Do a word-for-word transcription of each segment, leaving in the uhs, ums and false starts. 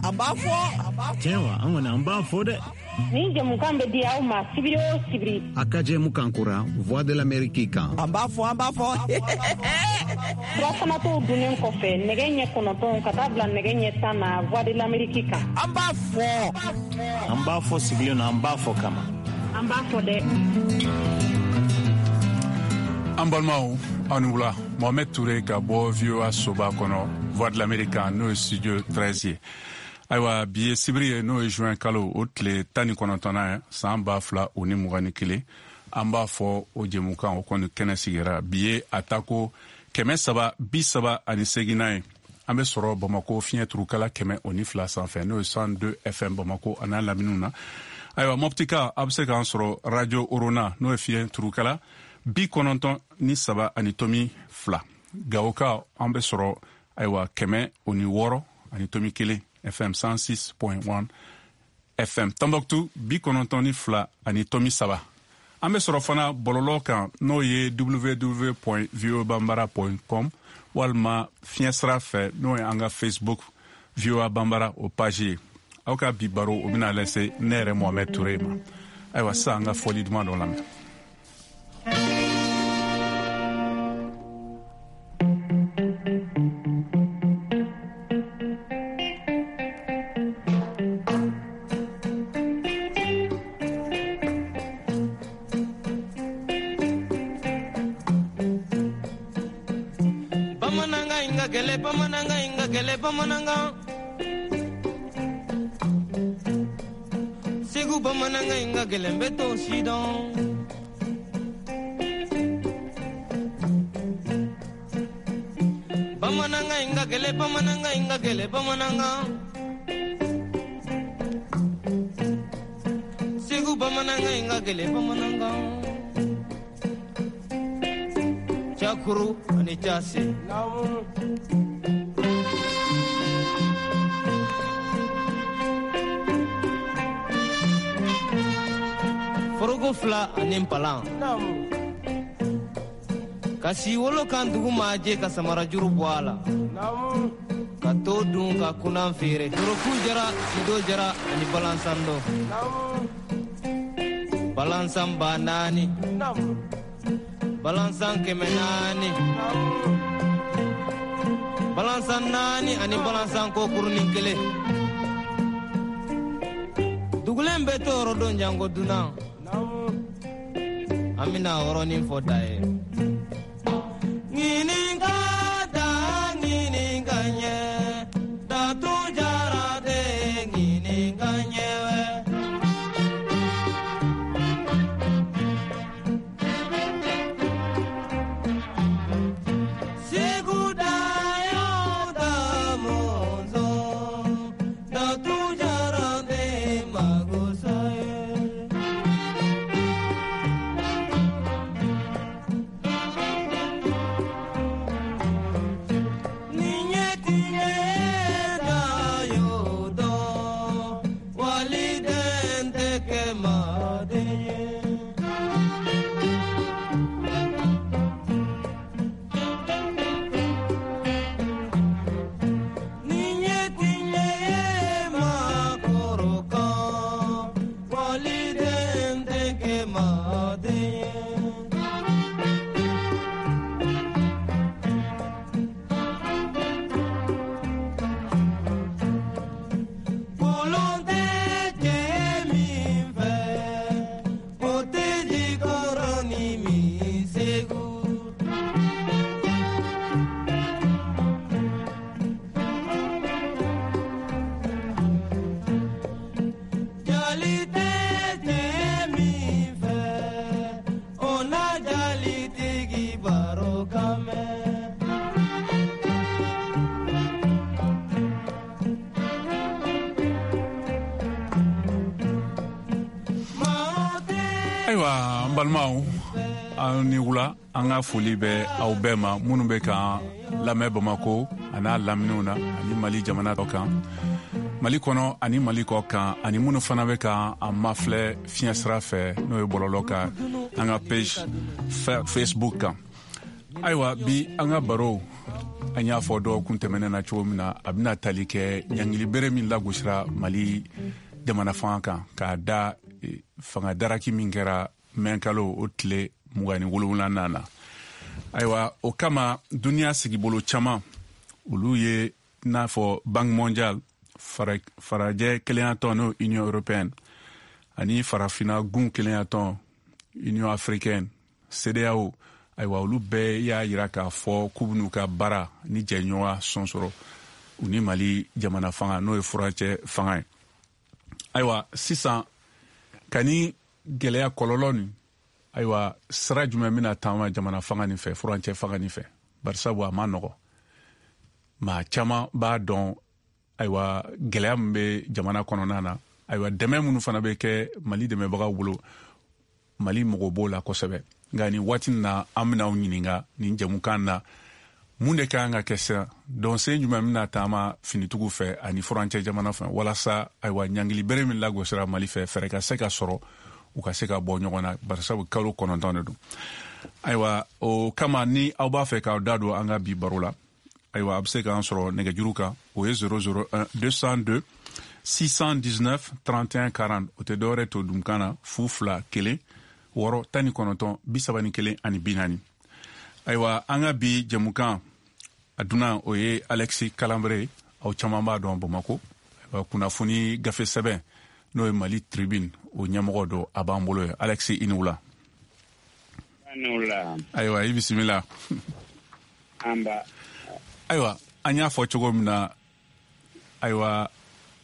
An b'a fɔ. Tiɲɛ wa, an kɔni an b'a fɔ dɛ. Nin jɛmukan bɛ di aw ma sibiri o sibiri. A ka jɛmukan kura Voix de l'Amérique kan. An b'a fɔ, an b'a fɔ. Surafana to dunnen kɔfɛ, nɛgɛ ɲɛ kɔnɔntɔn ka taa bila nɛgɛ ɲɛ tan na, Voix de l'Amérique kan. An b'a fɔ. An b'a fɔ sigilen na, an b'a fɔ kama. An b'a fɔ dɛ. An balimaw, aw ni wula. Mohamed Touré ka bɔ V O A soba kɔnɔ, Voix de l'Amérique, n'o ye studio treize ye. Ayiwa, bi ye sibiri ye, n'o ye juin kalo o tile tan ni kɔnɔntɔnnan ye, san ba fila o ni mugan ni kelen. An b'a fɔ o jɛmukan o kɔni kɛnɛ sigira. Bi ye a tako kɛmɛ saba bi saba ani seginnan ye. An bɛ sɔrɔ Bamako fiɲɛ turukala kɛmɛ o ni fila sanfɛ, n'o ye cent deux F M Bamako a n'a laminiw na. Ayiwa, Mɔptika, a bɛ se k'an sɔrɔ Radio Orona, n'o ye fiɲɛ turukala bi kɔnɔntɔn ni saba ani tomi fila. Gawoka, an bɛ sɔrɔ, ayiwa, kɛmɛ o ni wɔɔrɔ ani tomi kelen F M, cent six point un F M. Tombouctou, bi kɔnɔntɔn ni fila ani tomi saba. An bɛ sɔrɔ fana bɔlɔlɔ kan, n'o ye W W W point voa bambara point com, walima fiɲɛ sira fɛ, n'o ye an ka Facebook V O A Bambara o page ye. Aw ka bi baro o bɛna lase ne yɛrɛ Mohamɛd Ture ma. Ayiwa, sisan an ka fɔli duman dɔ lamɛn. Bamanankan in ka gɛlɛ, bamanankan in ka gɛlɛ, bamanankan. Segu bamanankan in ka gɛlɛ, n bɛ t'o si dɔn. Bamanankan in ka gɛlɛ, bamanankan in ka gɛlɛ, bamanankan. Segu bamanankan in ka gɛlɛ, bamanankan. Cakuru ani case. Foroko fila ani npalan. Ka si wolo kan dugu maa jɛ, ka samarajuru bɔ a la. Ka to dun ka kunan feere. Toroku jara, sido jara ani balansando. Balansan ba naani. Balansan kɛmɛ naani. Balansan naani ani balansan kokurunin kelen. Dugulen bɛ to yɔrɔ don janko dunan. An bɛna yɔrɔnin fɔ da ye. Ɲininka da ɲininka ɲɛ. Datu jara de ɲininka ɲɛ wɛ. Segu da yo da mɔzɔn. Datu jara de magosa ye. Ni ɲɛ tiɲɛ da y'o dɔn, waliden tɛ kɛ maaden ye. Ni ɲɛ tiɲɛ ye maakɔrɔ kan, waliden tɛ kɛ maaden ye. Kolon tɛ cɛ min fɛ, o tɛ jikɔrɔ ni min Segu. Jali tɛ cɛ min fɛ, o na jalitigi baro kan mɛn. Maa tɛ Ayiwa, an balimaw, aw ni wula. An ka foli bɛ aw bɛɛ ma, minnu bɛ k'an lamɛn Bamako a n'a laminiw na ani Mali jamana dɔ kan, Mali kɔnɔ ani Mali kɔ kan, ani minnu fana bɛ ka an mafilɛ fiɲɛ sira fɛ, n'o ye bɔlɔlɔ kan, an ka page Facebook kan. Ayiwa, bi an ka baro An y'a fɔ dɔgɔkun tɛmɛnen na cogo min na, a bɛna tali kɛ ɲangili bere min lagosira Mali jamana fanga kan k'a da fanga daraki min kɛra mɛnkalo o tile mugan ni wolonwulanan na. Ayiwa, o kama duniya sigibolo caman, olu ye n'a fɔ Banque mondiale, farajɛ kelenyatɔn n'o Union européenne, ani farafinna gun kelenyatɔn Union africaine, C E D E A O. Ayiwa, olu bɛɛ y'a yira k'a fɔ k'u bɛn'u ka baara ni jɛɲɔgɔnya sɔn sɔrɔ u ni Mali jamana fanga, n'o ye furancɛ fanga ye. Ayiwa, sisan ka ni gɛlɛya kɔlɔlɔ nin, ayiwa, sira jumɛn bɛna taama jamana fanga nin fɛ, furancɛ fanga nin fɛ? Barisabu a ma nɔgɔ, maa caman b'a dɔn. Ayiwa, gɛlɛya min bɛ jamana kɔnɔna na, ayiwa, dɛmɛ minnu fana bɛ kɛ Mali dɛmɛbagaw bolo, Mali mɔgɔ b'o la kosɛbɛ. Nka nin waati na, an bɛna aw ɲininka nin jɛmukan na, mun de ka kan ka kɛ sisan? Dɔnsen jumɛn bɛna taama finitigiw fɛ ani furancɛ jamana fɛ, walasa ayiwa, ɲangili bere min lagosira Mali fɛ, fɛɛrɛ ka se ka sɔrɔ u ka se ka bɔ ɲɔgɔn na? Barisabu kalo kɔnɔntɔn de don. Ayiwa, o kama, ni aw b'a fɛ k'aw da don an ka bi baro la, ayiwa, a bɛ se k'an sɔrɔ nɛgɛjuru kan, o ye zéro zéro un deux cent deux six cent dix-neuf trente et un quarante. O tɛ dɔwɛrɛ to dunkan na, fu fila kelen wɔɔrɔ tan ni kɔnɔntɔn bi saba ni kelen ani bi naani. Ayiwa, an ka bi jɛmukan a dunan, o ye Alexis Kalanbre. Aw caman b'a dɔn Bamako. Kunnafoni gafe sɛbɛn, n'o ye Mali Tribune, o ɲɛmɔgɔ don, a b'an bolo ye. Alexis, i ni wula. Ayiwa, i bisimila. Ayiwa, an y'a fɔ cogo min na, ayiwa,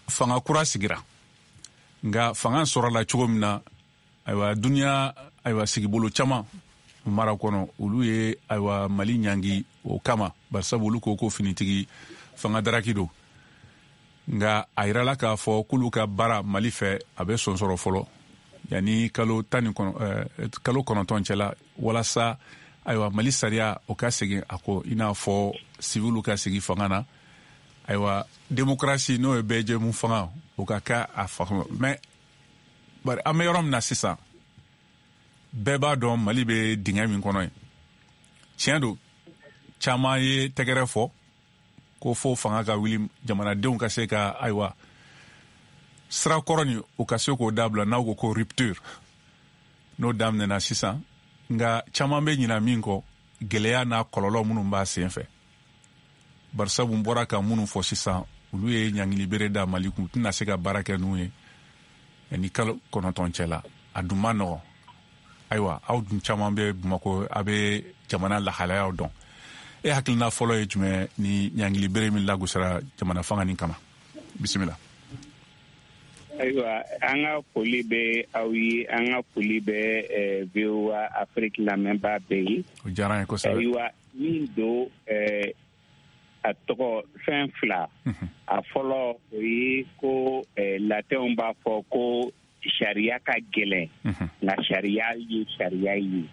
fanga kura sigira, nka fanga sɔrɔla cogo min na, ayiwa, duniya, ayiwa, sigibolo caman mara kɔnɔ, olu ye, ayiwa, Mali ɲangi o kama, barisabu olu ko ko finitigi fanga daraki don. Nka a yirala k'a fɔ k'olu ka baara Mali fɛ, a bɛ sɔn sɔrɔ fɔlɔ yanni kalo tan ni kalo kɔnɔntɔn cɛla, walasa ayiwa, Mali sariya o ka segin a kɔ, i n'a fɔ siviliw ka sigi fanga na, ayiwa, démocratie, n'o ye bɛɛ jɛmu fanga, o ka kɛ a fanga. Mais bari an bɛ yɔrɔ min na sisan, bɛɛ b'a dɔn Mali bɛ dingɛ min kɔnɔ ye. Tiɲɛ don, caman ye tɛgɛrɛ fɔ ko fo fanga ka wuli, jamanadenw ka se ka, ayiwa, sira kɔrɔ nin, o ka se k'o dabila, n'aw ko ko rupture, n'o daminɛna sisan. Nka caman bɛ ɲina min kɔ, gɛlɛya n'a kɔlɔlɔ minnu b'a sen fɛ, barisabu n bɔra ka minnu fɔ sisan, olu ye ɲangili bere da Mali kun, u tɛna se ka baara kɛ n'u ye ni kalo kɔnɔntɔn cɛ la. A dun ma nɔgɔn. Ayiwa, aw dun caman bɛ Bamakɔ, a bɛ jamana lahalayaw dɔn. E hakilina fɔlɔ ye jumɛn ni ɲangili bere min lagosira jamana fanga nin kama? Bisimila. Ayiwa, an ka foli bɛ aw ye, an ka foli bɛ V O A Afrique lamɛnbaa bɛɛ ye. O diyara an ye kosɛbɛ. Ayiwa, min don, a tɔgɔ fɛn fila. A fɔlɔ, o ye ko latɛnw b'a fɔ ko sariya ka gɛlɛn, nka sariya ye sariya ye.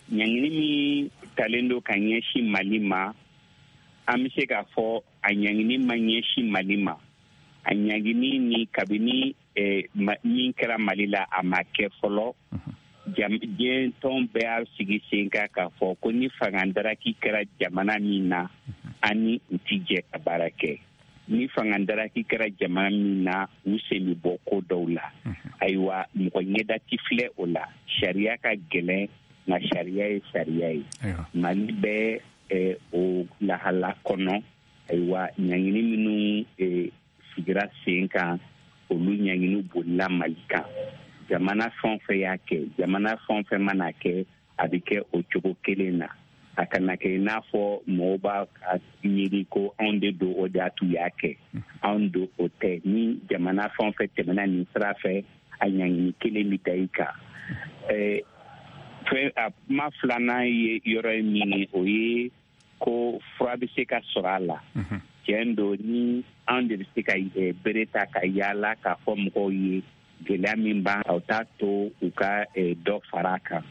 Ɲangini min talen don ka ɲɛsin Mali ma, an bɛ se k'a fɔ a ɲangini ma ɲɛsin Mali ma. A ɲangini ni kabini min kɛra Mali la, a ma kɛ fɔlɔ. Diɲɛ tɔn bɛɛ y'a sigi sen kan k'a fɔ ko ni fanga daraki kɛra jamana min na, an ni u ti jɛ ka baara kɛ. Ni fanga daraki kɛra jamana min na, u sen bɛ bɔ ko dɔw la. Ayiwa, mɔgɔ ɲɛda ti filɛ o la. Sariya ka gɛlɛn, nka sariya ye sariya ye. Mali bɛ o lahala kɔnɔ. Ayiwa, ɲangini minnu sigira sen kan, olu ɲangini bolila Mali kan. Jamana fɛn o fɛn y'a kɛ, jamana fɛn o fɛn mana kɛ, a bɛ kɛ o cogo kelen na. A kana kɛ i n'a fɔ mɔgɔw b'a miiri ko anw de don, o de y'a t'u y'a kɛ. Anw don, o tɛ. Ni jamana fɛn o fɛn tɛmɛna nin sira fɛ, a ɲangini kelen bɛ da i kan. Fɛn a kuma filanan ye yɔrɔ ye min ye, o ye ko fura bɛ se ka sɔrɔ a la. Tiɲɛ don, ni anw de bɛ se ka bere ta ka yaala k'a fɔ mɔgɔw ye gɛlɛya min b'an, o t'a to u ka dɔ fara a kan.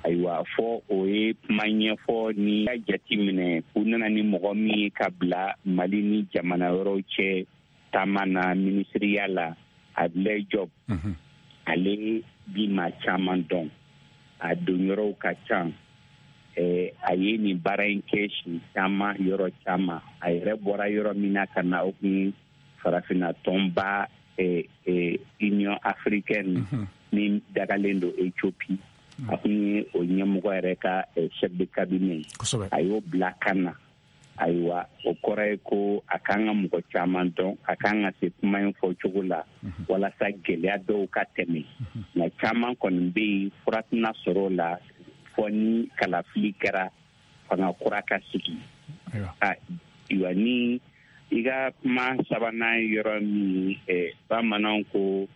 Ayiwa, fɔ o ye kuma ɲɛfɔ. Ni y'a jate minɛ, u nana ni mɔgɔ min ye ka bila Mali ni jamana wɛrɛw cɛ taama na minisiriya la, Abdoulaye Diop, ale bi maa caman dɔn, a don yɔrɔw ka ca. A ye nin baara in kɛ siɲɛ caman, yɔrɔ caman. A yɛrɛ bɔra yɔrɔ min na ka na, o kun farafinna tɔnba Union africaine min dagalen don Ethiopie, a kun ye o ɲɛmɔgɔ yɛrɛ ka chef de cabinet, a y'o bila ka na. Ayiwa, o kɔrɔ ye ko a kan ka mɔgɔ caman dɔn, a kan ka se kuma in fɔ cogo la walasa gɛlɛya dɔw ka tɛmɛ. Nka caman kɔni bɛ yen, fura tɛna sɔrɔ o la fɔ ni kalafili kɛra, fanga kura ka sigi. Ayiwa, ni i ka kuma sabanan yɔrɔ min, bamananw ko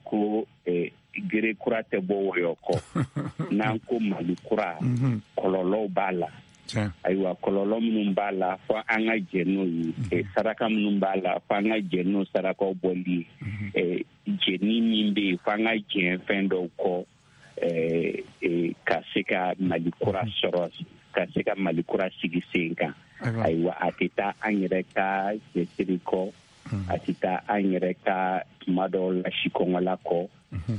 ko gere kura tɛ bɔ wɔyɔ kɔ. N'an ko Mali kura, kɔlɔlɔw b'a la. Ayiwa, kɔlɔlɔ minnu b'a la, fɔ an ka jɛ n'o ye. Saraka minnu b'a la, fɔ an ka jɛ n'o sarakaw bɔli ye. Jɛni min bɛ yen, fɔ an ka jɛ fɛn dɔw kɔ ka se ka Mali kura sɔrɔ, ka se ka Mali kura sigi sen kan. Ayiwa, a tɛ taa an yɛrɛ ka cɛsiri kɔ, a tɛ taa an yɛrɛ ka tuma dɔw la sikɔngɔla kɔ,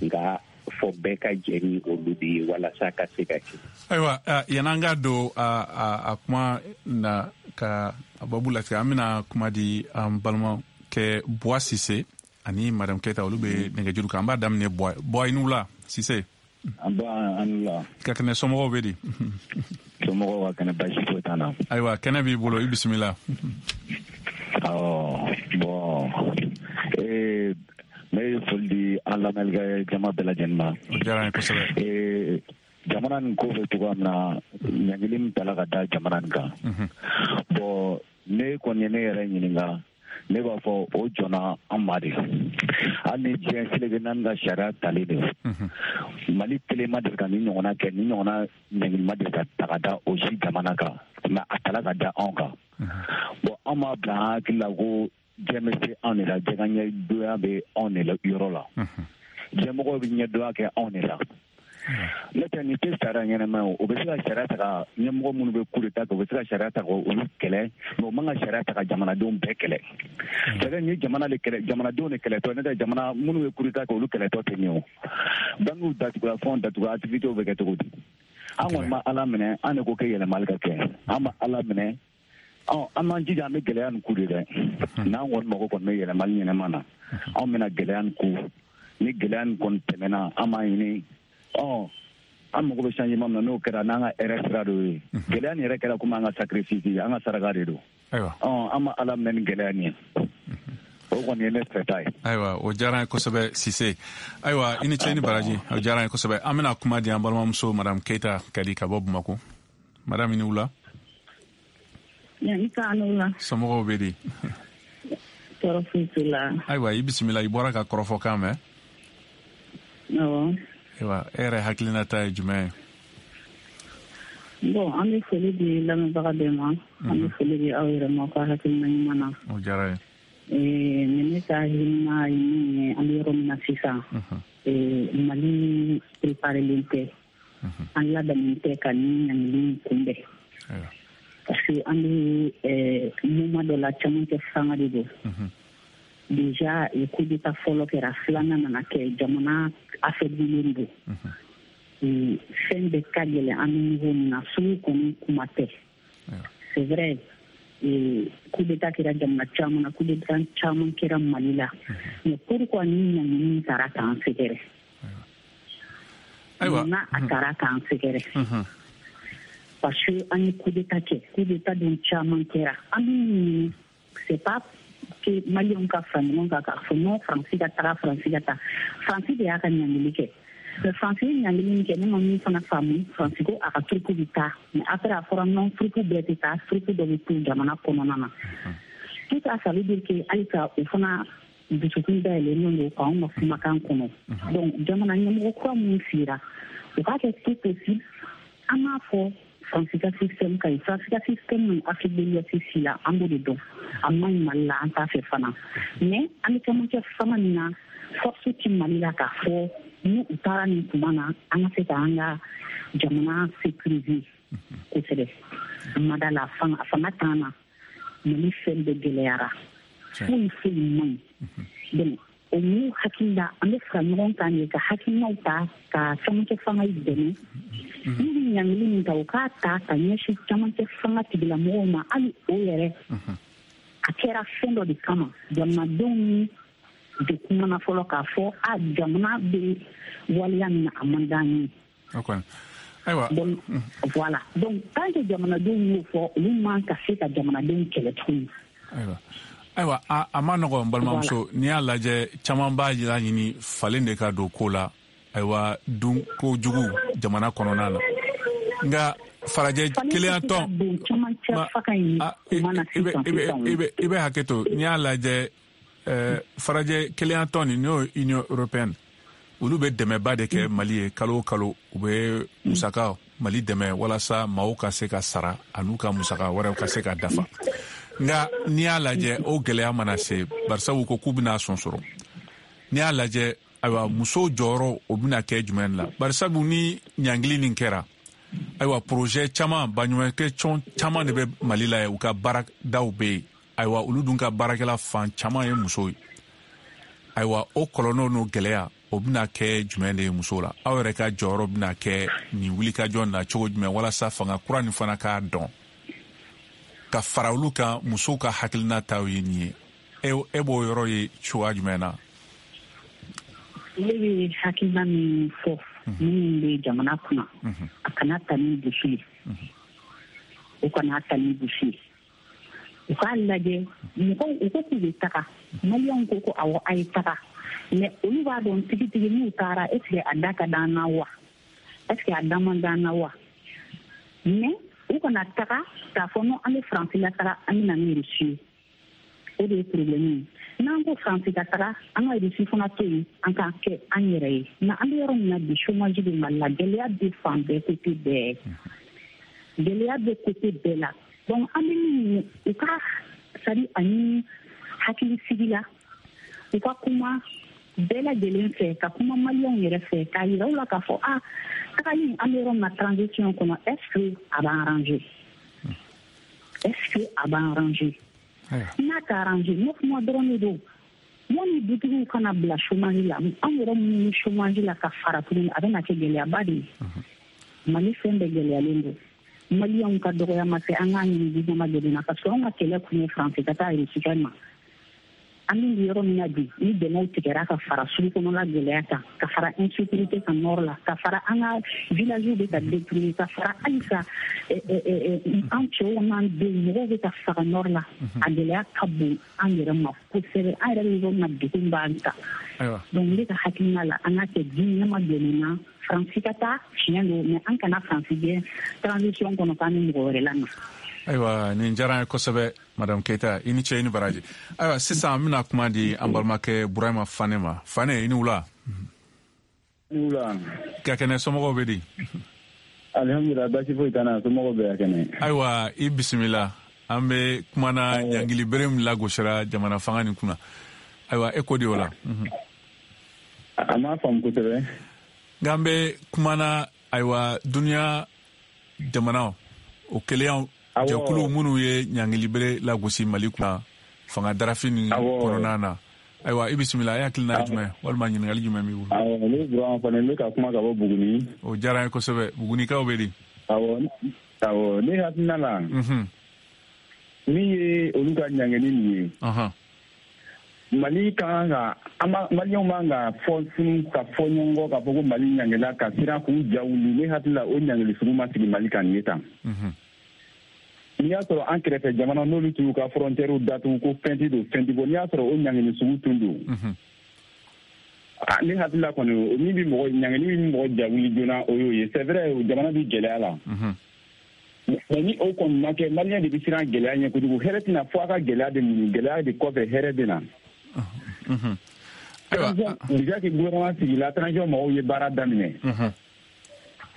nka fɔ bɛɛ ka jɛ ni olu de ye walasa ka se ka kɛ. Ayiwa, yan'an ka don a a kuma na ka a babu latigɛ, an bɛna kuma di an balimakɛ Buwa Sise ani Madame Keyita, olu bɛ nɛgɛjuru kan. An b'a daminɛ Buwa. Buwa, i ni wula Sise. An ba, an ni wula. Ka kɛnɛ, somɔgɔw bɛ di? Somɔgɔw ka kɛnɛ, baasi foyi t'an na. Ayiwa, kɛnɛ b'i bolo, i bisimila. Awɔ, bɔn ee ne ye foli di an lamɛnnikɛ jama bɛɛ lajɛlen ma. O diyara n ye kosɛbɛ. Ee jamana nin ko bɛ cogoya min na, ɲangili min tala ka da jamana nin kan. Bɔn, ne kɔni ye ne yɛrɛ ɲininka, ne b'a fɔ o jɔnna an ma de. Hali ni diɲɛ seleke naani ka sariya talen de, Mali kelen ma deli ka nin ɲɔgɔnna kɛ, nin ɲɔgɔnna ɲangili ma deli ka ta ka da o si jamana kan, mɛ a tala ka da anw kan. Bɔn, an b'a bila an hakili la ko diɲɛ bɛ se anw de la, diɲɛ ka ɲɛdonya bɛ anw de la yɔrɔ la, diɲɛmɔgɔw bɛ ɲɛdonya kɛ anw de la. N'o tɛ, nin tɛ sariya ɲɛnama ye. O bɛ se ka sariya ta ka ɲɛmɔgɔ minnu bɛ coup d'état kɛ, o bɛ se ka sariya ta ka olu kɛlɛ, mɛ o man ka sariya ta ka jamanadenw bɛɛ kɛlɛ. C'est-à-dire nin ye jamana de kɛlɛ, jamanadenw de kɛlɛtɔ. N'o tɛ, jamana minnu bɛ coup d'état kɛ, olu kɛlɛtɔ tɛ nin ye. O banques datugula, fɛnw datugula, activités bɛ kɛ cogo di? An kɔni ma Ala minɛ, an de ko kɛ yɛlɛmali ka kɛ, an ma Ala minɛ. Ɔ, an m'an jija, an bɛ gɛlɛya nin ku de dɛ. N'an kɔni mago kɔni bɛ yɛlɛmali ɲɛnama na, anw bɛna gɛlɛya nin ku. Ni gɛlɛya nin kɔni tɛmɛna, an b'a ɲini, ɔ, an mago bɛ changement min na, n'o kɛra, n'an ka hɛrɛ sira dɔ ye. Gɛlɛya nin yɛrɛ kɛra komi an ka sacrifice, an ka saraka de don. Ɔ, an ma Ala minɛ ni gɛlɛya nin ye. O kɔni ye ne fɛta ye. Ayiwa, o diyara n ye kosɛbɛ Sise. Ayiwa, i ni ce ni baraji, o diyara n ye kosɛbɛ. An bɛna kuma di an balimamuso Madame Keyita Kadi ka bɔ Bamakɔ. Madame, i ni wula. Somɔgɔw bɛ di? Tɔɔrɔ foyi t'u la. Ayiwa, i bisimila, i bɔra ka kɔrɔfɔkan mɛn. Awɔ. Ayiwa, e yɛrɛ hakilinata ye jumɛn ye? Bon, an bɛ foli di lamɛnbaga bɛɛ ma. An bɛ foli di aw yɛrɛ ma ka hakilina ɲuman na. O diyara n ye. Ee ne ka hakilina ye min ye, an bɛ yɔrɔ min na sisan, ee Mali préparelen tɛ. An labɛnnen tɛ ka nin ɲangili kunbɛn. Parce que an bɛ moment dɔ la, cɛmancɛ fanga de don. Déjà, coup d'état fɔlɔ kɛra, filanan nana kɛ, jamana affaiblilen don. Fɛn bɛɛ ka gɛlɛn an bɛ niveau min na, sugu kɔni kuma tɛ. C'est vrai, coup d'état kɛra jamana caman na, coup d'état caman kɛra Mali la. Mais pourquoi ni ɲangili taara k'an sɛgɛrɛ? Munna a taara k'an sɛgɛrɛ? Parce que an ye coup d'état kɛ, coup d'état dun caman kɛra. An bɛ, c'est pas que Maliens ka fara ɲɔgɔn kan k'a fɔ non, Faransi ka taga, Faransi ka taa. Faransi de y'a ka ɲangili kɛ. Mais Faransi ye ɲangili min kɛ, ne ma min fana faamu, Faransi ko a ka troupe bɛ taa. Mais après a fɔra non, troupe bɛɛ tɛ taa, troupe dɔ bɛ to jamana kɔnɔna na. Tout ça, ça veut dire que halisa o fana dusukun dayɛlɛnnen don k'anw ka kumakan kɔnɔ. Donc jamana ɲɛmɔgɔ kura minnu sigira, u k'a kɛ tout possible. An b'a fɔ Faransi ka système ka ɲi. Faransi ka système min Afrique de l'Ouest si la, an b'o de dɔn. A man ɲi Mali la, an t'a fɛ fana. Mais an bɛ cɛmancɛ fanga min na, force ti Mali la k'a fɔ ni u taara nin tuma na, an ka se k'an ka jamana sécuriser kosɛbɛ. Ma da la, fanga fanga t'an na. Mali fɛn bɛɛ gɛlɛyara. Foyi foyi man ɲi. Donc o m'u hakili la, an bɛ fara ɲɔgɔn kan de ka hakilinaw ta ka cɛmancɛ fanga dɛmɛ. N'u bɛ ɲangili min ta, u k'a ta ka ɲɛsin camancɛ fanga tigilamɔgɔw ma. Hali o yɛrɛ, a kɛra fɛn dɔ de kama. Jamanadenw de kumana fɔlɔ k'a fɔ a jamana bɛ waleya min na, a man d'an ye. Ayiwa. Donc voilà, donc tant que jamanadenw y'o fɔ, olu man ka se ka jamanadenw kɛlɛ tuguni. Ayiwa, ayiwa, a, a ma nɔgɔ, n balimamuso. N'i y'a lajɛ, caman b'a laɲini falen de ka don ko la. Ayiwa, dun ko jugu jamana kɔnɔna na, nka farajɛ kelenya tɔn, i bɛ hakɛ to. N'i y'a lajɛ, farajɛ kelenya tɔn nin, n'o ye Union européenne, olu bɛ dɛmɛba de kɛ Mali ye kalo o kalo. U bɛ musaka Mali dɛmɛ walasa maaw ka se ka sara an'u ka musaka wɛrɛw ka se ka dafa. Nka n'i y'a lajɛ, o gɛlɛya mana se, barisabu ko k'u bɛna sɔn sɔrɔ. N'i y'a lajɛ, ayiwa, musow jɔyɔrɔ o bɛna kɛ jumɛn la? Barisabu ni ɲangili nin kɛra, ayiwa, projet caman, baɲumankɛ tɔn caman de bɛ Mali la yen, u ka baaradaw bɛ yen. Ayiwa, olu dun ka baarakɛla fan caman ye musow ye. Ayiwa, o kɔlɔlɔ n'o gɛlɛya, o bɛna kɛ jumɛn de ye musow la? Aw yɛrɛ ka jɔyɔrɔ bɛna kɛ nin wulikajɔ na cogo jumɛn, walasa fanga kura nin fana k'a dɔn ka fara olu kan, musow ka hakilina taw ye nin ye? E b'o yɔrɔ ye cogoya jumɛn na? Ne bɛ hakilina min fɔ minnu bɛ jamana kunna, a kana ta ni dusu ye, u kana ta ni dusu ye. U k'a lajɛ, mɔgɔw u ko k'u bɛ taga, maliyɛnw ko ko awɔ, a ye taga, mais olu b'a dɔn tigitigi n'u taara, est ce que a da ka d'an na wa, est ce que a da man d'an na wa? Mais u kana taga k'a fɔ non, an bɛ Faransi la taga, an bɛ na ni Rusi ye. O de ye problème ye. N'an ko Faransi ka taga, an ka Rusi fana to yen, an k'a kɛ an yɛrɛ ye. Nka an bɛ yɔrɔ min na bi, chômage bɛ Mali la, gɛlɛya bɛ fan bɛɛ, côté bɛɛ, gɛlɛya bɛ côté bɛɛ la. Donc an bɛ min ɲini u ka, c'est à dire a ɲini hakilisigi la, u ka kuma bɛɛ lajɛlen fɛ, ka kuma maliyɛnw yɛrɛ fɛ, k'a yira u la k'a fɔ a tagali an bɛ yɔrɔ min na transition kɔnɔ, est ce que a b'an arranger, est ce que a b'an arranger? N'a t'a arranger, neuf mois dɔrɔn de don. Yanni dutigiw kana bila chômage la, an yɛrɛ minnu bɛ chômage la ka fara tuguni, a bɛna kɛ gɛlɛyaba de ye. Mali fɛn bɛɛ gɛlɛyalen don. Maliyɛnw ka dɔgɔya ma se an k'a ɲini gouvernement de na, parce que anw ka kɛlɛ kun ye Faransi ka taa Rusi ma. An bɛ yɔrɔ min na bi, ni dɛmɛw tigɛra ka fara sugu kɔnɔla gɛlɛya kan, ka fara insécurité kan nord la, ka fara an ka villages bɛ ka détruire, ka fara halisa an cɛw n'an denw mɔgɔw bɛ ka faga nord la, a gɛlɛya ka bon an yɛrɛ ma kosɛbɛ. An yɛrɛ bɛ yɔrɔ min na, degun b'an kan. Donc ne ka hakilina la, an ka kɛ diɲɛma jɔlen na. Faransi ka taa, tiɲɛ don, mais an kana Faransi gɛn transition kɔnɔ k'an ni mɔgɔ wɛrɛ la na. Ayiwa, nin diyara an ye kosɛbɛ, madame Keita, i ni ce, i ni baraji. Ayiwa, sisan an bɛna kuma di an balimakɛ Burahima Fane ma. Fane, i ni wula. Ni wula. Ka kɛnɛ, somɔgɔw bɛ di? Alhamdulilah, baasi foyi t'an na, somɔgɔw bɛ ka kɛnɛ. Ayiwa, i bisimila. An bɛ kumana ɲangili bere min lagosira jamana fanga nin kunna. Ayiwa, e ko di o la? A m'a faamu kosɛbɛ. Nka an bɛ kumana, ayiwa, duniya jamanaw o keleyaw jɛkulu minnu ye ɲangilibere lagosi Mali kunna fanga darafin nin kɔnɔna na. Ayiwa, i bisimila. E hakilina ye jumɛn, walima ɲininkali jumɛn b'i bolo? Awɔ, ne Burama Fane, n bɛ ka kuma ka bɔ Buguni. O diyara n ye kosɛbɛ. Bugunikaw bɛ di? Awɔ, awɔ, ne hakilina la, min ye olu ka ɲangili nin ye, Mali ka kan ka, maliyɛnw man ka fɔ funu ka fɔ ɲɔgɔn kɔ k'a fɔ ko Mali ɲangila ka siran k'u ja wuli. Ne hakili la, o ɲangili sugu ma sigi Mali kan nin ye tan. N'i y'a sɔrɔ an kɛrɛfɛ jamana n'olu tun y'u ka frontières datugu ko fɛn ti don fɛn ti bɔ, n'i y'a sɔrɔ o ɲangili sugu tun don, ne hakili la kɔni, min bɛ mɔgɔ ɲangili min bɛ mɔgɔ ja wuli joona, o y'o ye. C'est vrai, jamana bɛ gɛlɛya la, mais ni o kɔni ma kɛ, maliyɛn de bɛ siran gɛlɛya ɲɛ kojugu. Hɛrɛ tɛna fɔ a ka gɛlɛya de muɲu, gɛlɛya de kɔfɛ hɛrɛ bɛ na. Déjà que gouvernement sigila, transition mɔgɔw ye baara daminɛ.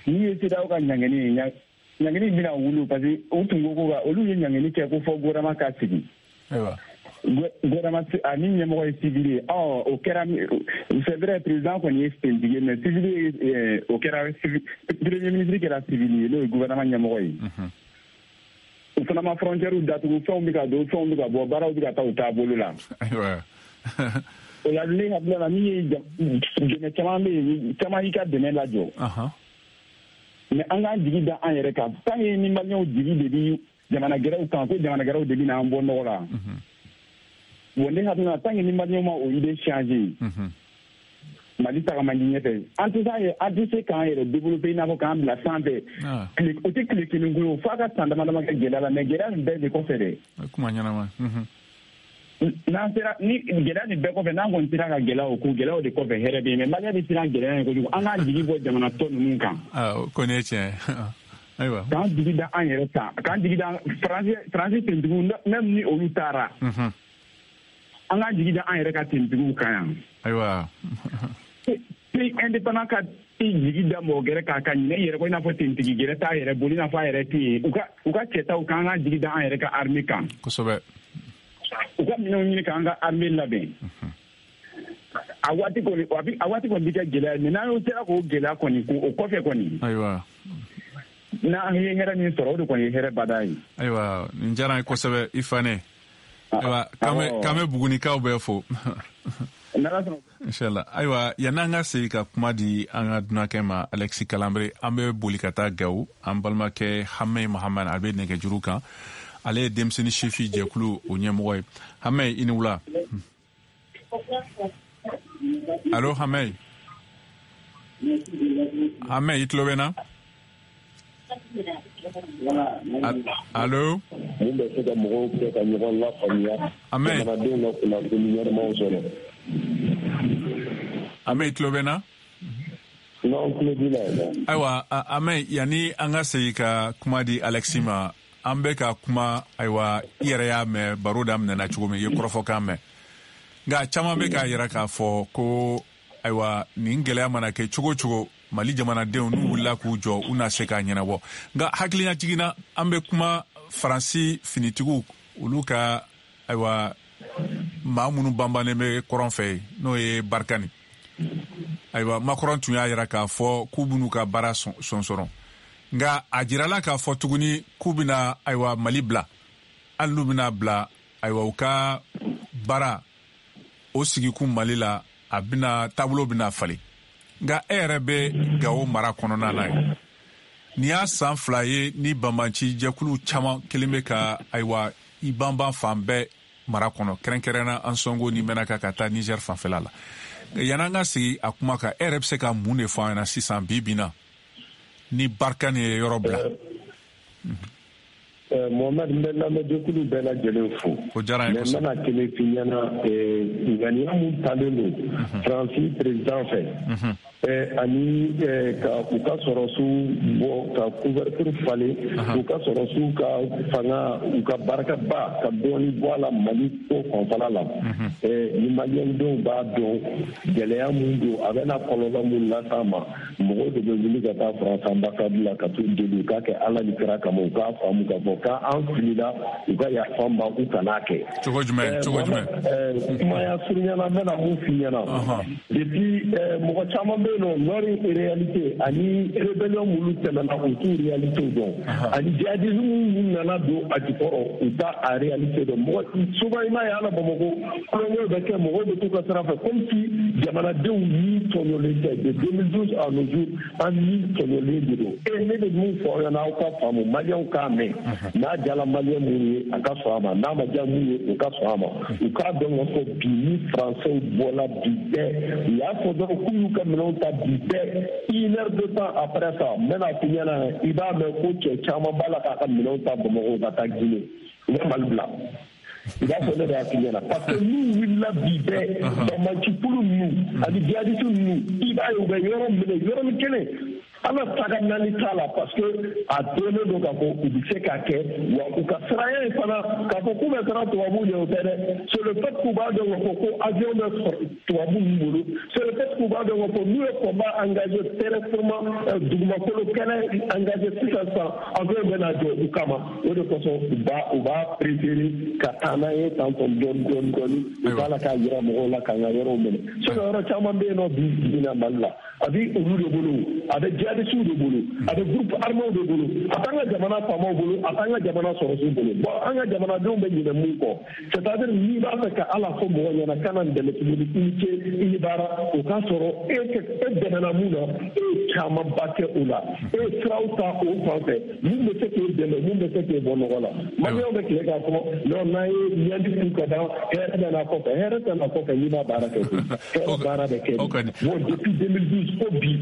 N'i ye CEDEAO ka ɲangili ye, ɲangili bɛna wuli, parce que u tun ko ko ka olu ye ɲangili kɛ ko fɔ gouvernement ka sigi. Gouvernement ani ɲɛmɔgɔ ye civil ye. Ɔ, o kɛra, c'est vrai, président kɔni ye sentigi ye, mais civil ye, o kɛra premier ministre kɛra civil ye, n'o ye gouvernement ɲɛmɔgɔ ye. U fana ma frontières datugu, fɛnw bɛ ka don, fɛnw bɛ ka bɔ, baaraw bɛ ka taa u taabolo la. O la, ne hakili la, min ye dɛmɛ caman bɛ yen, caman y'i ka dɛmɛ lajɔ. Mais an k'an jigi da an yɛrɛ kan, tant que ni maliyɛnw jigi de bi jamana gɛrɛw kan ko jamana gɛrɛw de bɛ n'an bɔ nɔgɔ la. Bon, ne hakili la, tant que ni maliyɛnw ma o idée changer, Mali taga man di ɲɛfɛ. An tɛ se an tɛ se k'an yɛrɛ développer i n'a fɔ k'an bila sanfɛ. O tɛ tile kelen ko ye, f'a ka san dama dama kɛ gɛlɛya la, mais gɛlɛya nin bɛɛ de kɔfɛ dɛ. Kuma ɲɛnama. N'an sera ni gɛlɛya nin bɛɛ kɔfɛ, n'an kɔni sera ka gɛlɛya o ko gɛlɛyaw de kɔfɛ, hɛrɛ bɛ yen. Mais maliyɛn bɛ siran gɛlɛya in kojugu, an k'an jigi bɔ jamana tɔ ninnu kan. Aa, o kɔni ye tiɲɛ ye. Ayiwa. K'an jigi da an yɛrɛ kan, k'an jigi da Faransi Faransi tentigiw, même ni olu taara. An k'an jigi da an yɛrɛ ka tentigiw kan yan. Ayiwa. Pays indépendant ka i jigi da mɔgɔ gɛrɛ kan ka ɲinɛ i yɛrɛ kɔ, i n'a fɔ tentigi gɛrɛ t'a yɛrɛ bolo, i n'a fɔ a yɛrɛ tɛ yen. U ka u ka cɛtaw kan, an k'an jigi da an yɛrɛ ka armée kan. Kosɛbɛ. U ka minɛnw ɲini k'an ka armée labɛn. A waati kɔni, a waati kɔni bɛ kɛ gɛlɛya ye, mais n'an y'o sera k'o gɛlɛya kɔni ko o kɔfɛ kɔni. Ayiwa. N'an ye hɛrɛ min sɔrɔ, o de kɔni ye hɛrɛ bada ye. Ayiwa, nin diyara n ye kosɛbɛ, i Fane. Ayiwa, k'an bɛ Bugunikaw bɛɛ fo. Inshallah. Ayiwa, yan'an ka segin ka kuma di an ka dunankɛ ma Alexis Kalanbre, an bɛ boli ka taa Gawo. An balimakɛ Hamɛ Mahamad, a bɛ nɛgɛjuru kan. Ale ye denmisɛnnin sifin jɛkulu o ɲɛmɔgɔ ye. Hamɛ, i ni wula. Allo Hamɛ. Hamɛ, i tulo bɛ n na? Allo. Mun bɛ se ka mɔgɔw kɛ ka ɲɔgɔn lafaamuya? Hamɛ. Jamanadenw ka kunnafoni ɲɛnamaw sɔrɔ. Hamɛ, i tulo bɛ n na? N'an tulo b'i la. Ayiwa, Hamɛ, yanni an ka segin ka kuma di Alexis ma, an bɛ ka kuma, ayiwa, i yɛrɛ y'a mɛn baro daminɛna cogo min, i ye kɔrɔfɔkan mɛn. Nka caman bɛ k'a yira k'a fɔ ko ayiwa, nin gɛlɛya mana kɛ cogo o cogo, Mali jamanadenw n'u wulila k'u jɔ, u na se k'a ɲɛnabɔ. Nka hakilina na, an bɛ kuma Faransi finitigiw, olu ka ayiwa maa minnu banbannen bɛ kɔrɔn fɛ yen, n'o ye Barikani. Ayiwa, Macron tun y'a yira k'a fɔ k'u b'u ka baara sɔnsɔrɔ. Nka a jirala k'a fɔ tuguni k'u bɛna ayiwa Mali bila, hali n'u bɛna bila, ayiwa, u ka baara o sigikun Mali la, a bɛna taabolo bɛna falen. Nka e yɛrɛ bɛ Gawo mara kɔnɔna na ye. Nin y'a san fila ye ni banbanci jɛkulu caman kelen bɛ ka ayiwa i banban fan bɛɛ mara kɔnɔ, kɛrɛnkɛrɛnnenya Ansongo ni Mɛnaka ka taa Niger fanfɛla la. Yan'an ka sigi a kuma kan, e yɛrɛ bɛ se ka mun de fɔ an ɲɛna sisan bi bi in na ni Barikani ye yɔrɔ bila? Mohamed, n bɛ lamɛnjɛkulu bɛɛ lajɛlen fo. O diyara n ye kosɛbɛ. Mais n bɛna kelen f'i ɲɛna, ŋaniya mun talen don Faransi président fɛ, ani ka u ka sɔrɔsiw bɔ ka couverture falen, u ka sɔrɔsiw ka fanga, u ka barikaba ka dɔɔni bɔ a la Mali ko fanfɛla la. Ni maliyɛndenw b'a dɔn gɛlɛya mun don, a bɛna kɔlɔlɔ mun las'a ma, mɔgɔw de bɛ wuli ka taa Faransi ambassade la ka t'u deli u k'a kɛ Ala ni kira kama, u k'a faamu k'a fɔ k'an filila, u ka yafa n ma, u kan'a kɛ. Cogo jumɛn? Cogo jumɛn? Kumaya surunyana, n bɛna mun f'i ɲɛna. Depuis mɔgɔ caman bɛ yen nɔ, nord réalité ani rébellion minnu tɛmɛna, u t'u réalité dɔn, ani djihadisme minnu nana don a jukɔrɔ, u t'a a réalité dɔn. Mɔgɔ souvent i m'a ye ala Bamakɔ kulonkɛw bɛ kɛ, mɔgɔw bɛ t'u ka sira fɛ comme si jamanadenw ni tɔɲɔlen tɛ. De deux mille douze à nos jours, an ni tɔɲɔlen de don. E ne bɛ mun fɔ aw ɲɛna, aw ka faamu, maliyɛnw k'a mɛn. N'a diyara maliyɛn minnu ye, a ka sɔn a ma, n'a ma diya mun ye, u ka sɔn a ma. U k'a dɔn k'a fɔ bi ni Faransɛw bɔla bi bɛɛ, u y'a fɔ dɔrɔn k'u y'u ka minɛnw ta bi bɛɛ, une heure de temps après ça, n bɛna f'i ɲɛna, i b'a mɛn ko cɛ caman b'a la k'a ka minɛnw ta Bamakɔ ka taa Guinée, u bɛ Mali bila. I b'a fɔ ne de y'a f'i ɲɛna, parce que n'u wulila bi bɛɛ, banbancikulu ninnu ani djihadiste ninnu, i b'a ye u bɛ yɔrɔ minɛ yɔrɔnin kelen. Ala taga naani t'a la, parce que a dɔnnen don k'a fɔ u bɛ se k'a kɛ, wa u ka siranya ye fana k'a fɔ k'u bɛ siran tubabuw ɲɛ, o tɛ dɛ. C'est le fait k'u b'a dɔn k'a fɔ ko avion bɛ tubabu ninnu bolo, c'est le fait k'u b'a dɔn k'a fɔ n'u ye combat engagé terrestrement, dugumakolo kɛlɛ engagé sisan sisan, avion bɛ na jɔ u kama. O de kosɔn u b'a u b'a préféré ka taa n'an ye tantɔ dɔɔni dɔɔni dɔɔni, u b'a la k'a yira mɔgɔw la k'an ka yɔrɔw minɛ. Sinon yɔrɔ caman bɛ yen nɔ bi bi in na Mali la, A bɛ olu de bolo, a bɛ jihadisiw de bolo, a bɛ groupe arméw de bolo, a t'an ka jamana faamaw bolo, a t'an ka jamana sɔrɔsiw bolo. Bon, an ka jamanadenw bɛ ɲinɛ mun kɔ, c'est à dire n'i b'a fɛ ka Ala fɔ mɔgɔ ɲɛna kana n dɛmɛ tuguni, i ni ce, i ni baara, o k'a sɔrɔ e e dɛmɛna mun na, e ye camanba kɛ o la, e ye siraw ta o fan fɛ mun bɛ se k'e dɛmɛ, mun bɛ se k'e bɔ nɔgɔ la. Maliyɛnw bɛ tile k'a fɔ non, n'an ye ɲɛji k'u ka ban, hɛrɛ bɛ n'a kɔfɛ, hɛrɛ tɛ n'a kɔfɛ n'i b'a baara kɛ koyi, hɛrɛ baara bɛ kɛ. Bon, depuis deux mille douze ko bi,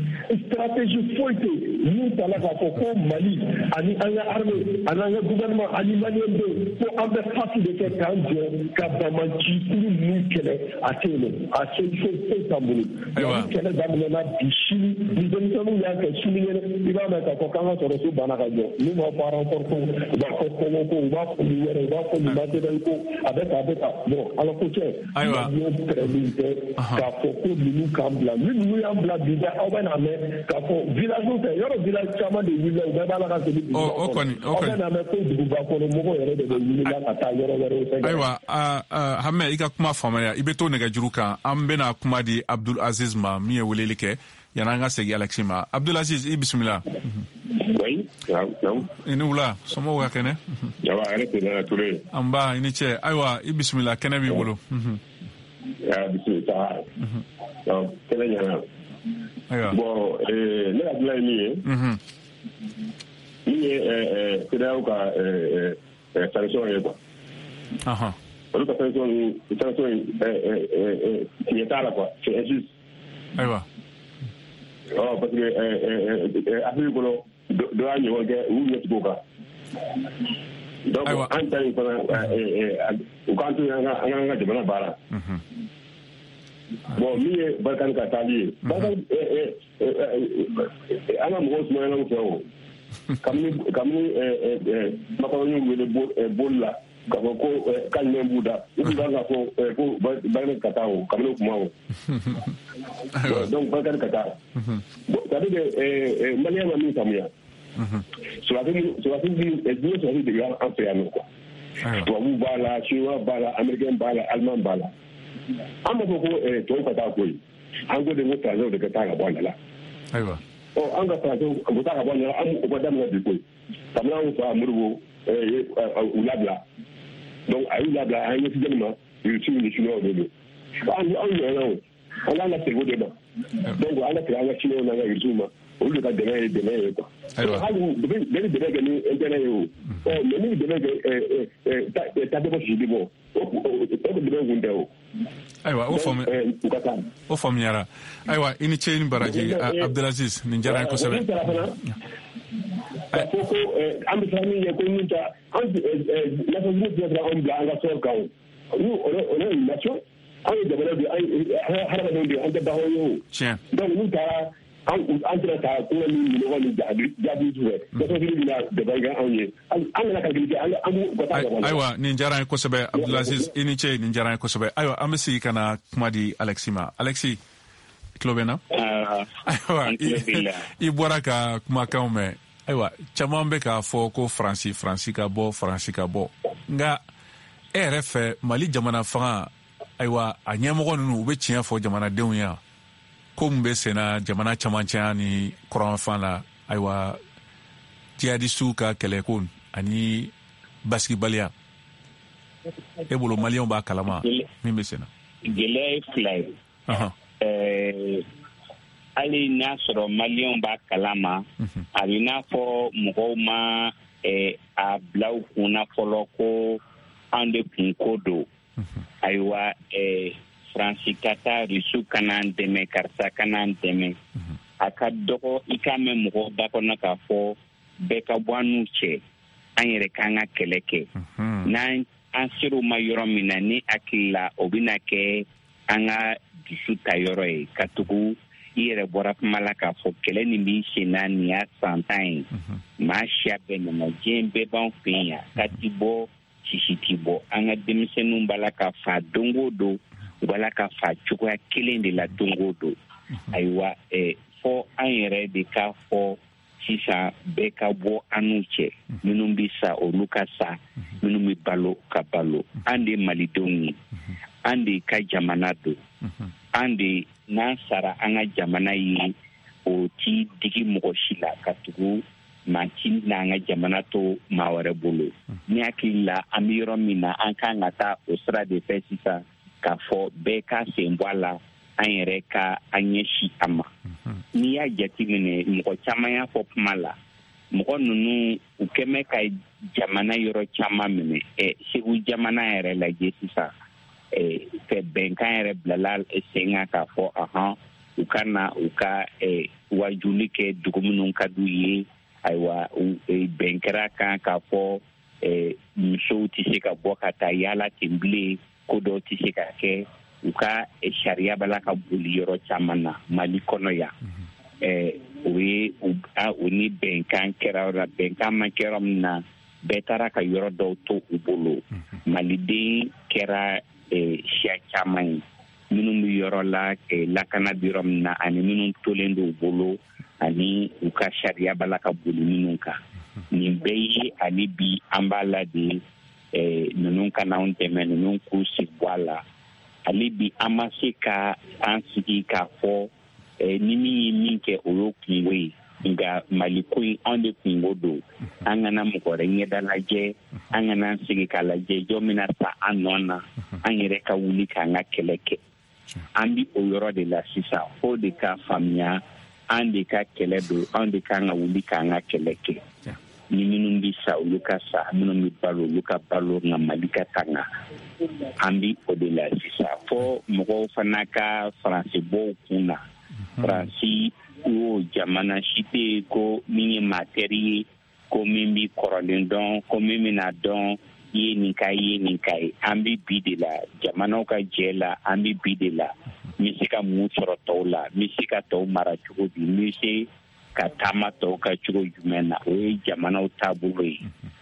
stratégie foyi tɛ mun tala k'a fɔ ko Mali ani an ka armée ani an ka gouvernement ani maliyɛn denw ko an bɛ face de kɛ k'an jɔ ka banbanci kuru ninnu kɛlɛ, a tɛ yen nɔ, a solution foyi t'an bolo. Ni kɛlɛ daminɛna bi, sini ni denmisɛnninw y'a kɛ, sinikɛnɛ i b'a mɛn k'a fɔ k'an ka sɔrɔsiw banna ka jɔ, n'u b'a fɔ renfort ko, u b'a fɔ kɔngɔ ko, u b'a fɔ nin wɛrɛ, u b'a fɔ nin matériel ko, a bɛ tan, a bɛ tan. Bon, Ala ko cɛ, maliyɛnw pɛrɛnnen tɛ k'a fɔ ko ninnu k'an bila, ni ninnu y'an bila bi dɛ, aw bɛ n'a mɛn k'a fɔ village fɛ, yɔrɔ village caman de wulila, u bɛɛ b'a la ka segin duguba kɔnɔ, aw bɛ n'a mɛn ko duguba kɔnɔ mɔgɔw yɛrɛ de bɛ wulila ka taa yɔrɔ wɛrɛw fɛ. Ayiwa, Hamɛ, i ka kuma faamuya, i bɛ to nɛgɛjuru kan, an bɛna kuma di Abdul Aziz ma min ye weleli kɛ yanni an ka segin Alexis ma. Abdul Aziz, i bisimila. Oui, naamu. I ni wula, somɔgɔw ka kɛnɛ? Jaba, hɛrɛ tɛ nana Ture. An ba, i ni cɛ. Ayiwa, i bisimila, kɛnɛ b'i bolo. Ya bisimila. Kɛnɛ ɲɛna. Ayiwa. Bon, ne ka dilan ye min ye. Min ye CEDEAO ka sanction ye quoi. Olu ka sanction sanction tiɲɛ t'a la quoi, c'est injuste. Ayiwa. Ɔ, parce que Afrique kɔnɔ dɔ y'a ɲɔgɔn kɛ, u y'u ɲɛ tugu o kan. Donc an ta in fana, u k'an to yen, an k'an ka jamana baara. Bon, min ye Barikani ka taali ye, Barikani an ka mɔgɔw sumayana u fɛ o. Kabini kabini Macron y'u wele boli la k'a fɔ ko k'a ɲɛ b'u da, u tun kan k'a fɔ ko Barikani ka taa o, kabini o kuma o. Donc Barikani ka taa. Bon, c'est à dire que Maliyɛn ma min faamuya, sɔrɔdasi sɔrɔdasi diɲɛ sɔrɔdasi de b'an fɛ yan nɔ quoi. Tubabuw b'a la, chinois b'a la, américain b'a la, allemand b'a la. An b'a fɔ ko tɔw ka taa koyi, an ko de ko français de ka taa ka bɔ an da la. Ayiwa. Ɔ, an ka français u taa ka bɔ an da la, an o ma daminɛ bi koyi. Kabini anw fa Modibo u labila, donc a y'u labila, an ɲɛsin jɔnni ma? Rusiw ni chinois de don. An anw ɲɔgɔnna o, an k'an ka segin o de ma. Donc an ka segin an ka chinois n'an ka rusiw ma, olu de ka dɛmɛ ye dɛmɛ ye quoi. Hali bɛɛ bɛ dɛmɛ kɛ ni intérêt ye o. Ɔ, mais ni dɛmɛ kɛ ta bɛ bɔ sisi bɔ, o dɛmɛ kun tɛ o. Ayiwa, o faamu, o faamuyara. Ayiwa, i ni ce, i ni baraji, Abdulaziz, nin diyara n ye kosɛbɛ. K'a fɔ ko an bɛ siran min ɲɛ, ko min ta an Nations Unies tɛ se k'anw bila an ka sɔrɔ kan o. Nous, on est une nation, an ye jamana de ye, an hadamadenw de ye, an tɛ baganw ye o. Tiɲɛ. Donc n'u taara an an tɛna taa kuma ni minɔgɔ ni jaabi fɛ, Nations Unies bɛna dɛmɛ kɛ anw ye, an kana calcul kɛ, an b'u ka taa ka bɔ. Ayiwa, nin diyara n ye kosɛbɛ, Abdulaziz, i ni ce, nin diyara n ye kosɛbɛ. Ayiwa, an bɛ segin ka na kuma di Alexis ma. Alexis, i tulo bɛ n na? Ayiwa, i bɔra ka kumakanw mɛn. Ayiwa, caman bɛ k'a fɔ ko Faransi, Faransi ka bɔ, Faransi ka bɔ. Nka e yɛrɛ fɛ, Mali jamana fanga, ayiwa, a ɲɛmɔgɔ ninnu, u bɛ tiɲɛ fɔ jamanadenw ye ko mun bɛ senna jamana camancɛya ni kɔrɔnfan la, ayiwa, jihadisiw ka kɛlɛko ani basigibaliya, e bolo maliyɛnw b'a kalama min bɛ senna? Gɛlɛya ye fila ye. Hali n'a sɔrɔ maliyɛnw b'a kalama, a bɛ n'a fɔ mɔgɔw ma a bila u kunna fɔlɔ ko an de kun ko don. Ayiwa, Faransi ka taa, Rusiw ka n'an dɛmɛ, karisa ka n'an dɛmɛ. A ka dɔgɔ i k'a mɛn mɔgɔw da kɔnɔ k'a fɔ bɛɛ ka bɔ an n'u cɛ, an yɛrɛ k'an ka kɛlɛ kɛ. N'an an ser'o ma yɔrɔ min na, ni hakili la, o bɛna kɛ an ka dusu ta yɔrɔ ye, ka tugu i yɛrɛ bɔra kuma la k'a fɔ kɛlɛ nin b'i sen na, nin y'a san tan ye. Maa siya bɛɛ nana, diɲɛ bɛɛ b'an fɛ yan, ka ti bɔ, sisi ti bɔ. An ka denmisɛnninw b'a la ka fa don o don, u b'a la ka fa cogoya kelen de la don o don. Ayiwa, fɔ an yɛrɛ de k'a fɔ sisan bɛɛ ka bɔ an n'u cɛ, minnu bɛ sa olu ka sa, minnu bɛ balo ka balo. An de ye malidenw ye, an de ka jamana don, an de n'an sara an ka jamana ye, ti digi mɔgɔ si la, ka tugu maa si n'an ka jamana to maa wɛrɛ bolo. Ni hakili la, an bɛ yɔrɔ min na, an kan ka taa o sira de fɛ sisan, k'a fɔ bɛɛ ka sen bɔ a la, an yɛrɛ ka an ɲɛsin a ma. N'i y'a jateminɛ, mɔgɔ caman y'a fɔ kuma la, mɔgɔ ninnu u kɛmɛ ka jamana yɔrɔ caman minɛ. Ɛ Segu jamana yɛrɛ lajɛ sisan, ɛ fɛ bɛnkan yɛrɛ bilala sen kan k'a fɔ ahan, u ka na u ka wajuli kɛ dugu minnu ka d'u ye. Ayiwa, bɛn kɛra kan k'a fɔ musow tɛ se ka bɔ ka taa yaala ten bilen, ko dɔw tɛ se ka kɛ, u ka sariya b'a la ka boli yɔrɔ caman na Mali kɔnɔ yan. O ye o ni bɛnkan kɛra yɔrɔ la, bɛnkan ma kɛ yɔrɔ min na, bɛɛ taara ka yɔrɔ dɔw to u bolo. Maliden kɛra siya caman ye, minnu bɛ yɔrɔ la lakana bɛ yɔrɔ min na, ani minnu tolen don u bolo, ani u ka sariya b'a la ka boli minnu kan. Nin bɛɛ ye ani bi an b'a la de, ninnu ka n'anw dɛmɛ, ninnu k'u sigi bɔ a la. Ale bi an ma se ka an sigi k'a fɔ ni min ye min kɛ o y'o kungo ye, nka Mali ko in anw de kungo don. An kana mɔgɔ wɛrɛ ɲɛda lajɛ, an kana an sigi k'a lajɛ jɔn bɛna sa an nɔ na, an yɛrɛ ka wuli k'an ka kɛlɛ kɛ. An bi o yɔrɔ de la sisan, fo de ka faamuya an de ka kɛlɛ don, an de kan ka wuli k'an ka kɛlɛ kɛ. Ni minnu bɛ sa olu ka sa, minnu bɛ balo olu ka balo, nka Mali ka tanga. An bi o de la sisan, fo mɔgɔw fana ka Faransi bɔ u kun na. Faransi o jamana si tɛ yen ko min ye maa teri ye, ko min bɛ kɔrɔlen dɔn, ko min bɛna dɔn i ye nin ka ye nin ka ye. An bɛ bi de la, jamanaw ka jɛ la, an bɛ bi de la. N bɛ se ka mun sɔrɔ tɔw la, n bɛ se ka tɔw mara cogo di, n bɛ se ka taama tɔw ka cogo jumɛn na. O ye jamanaw taabolo ye,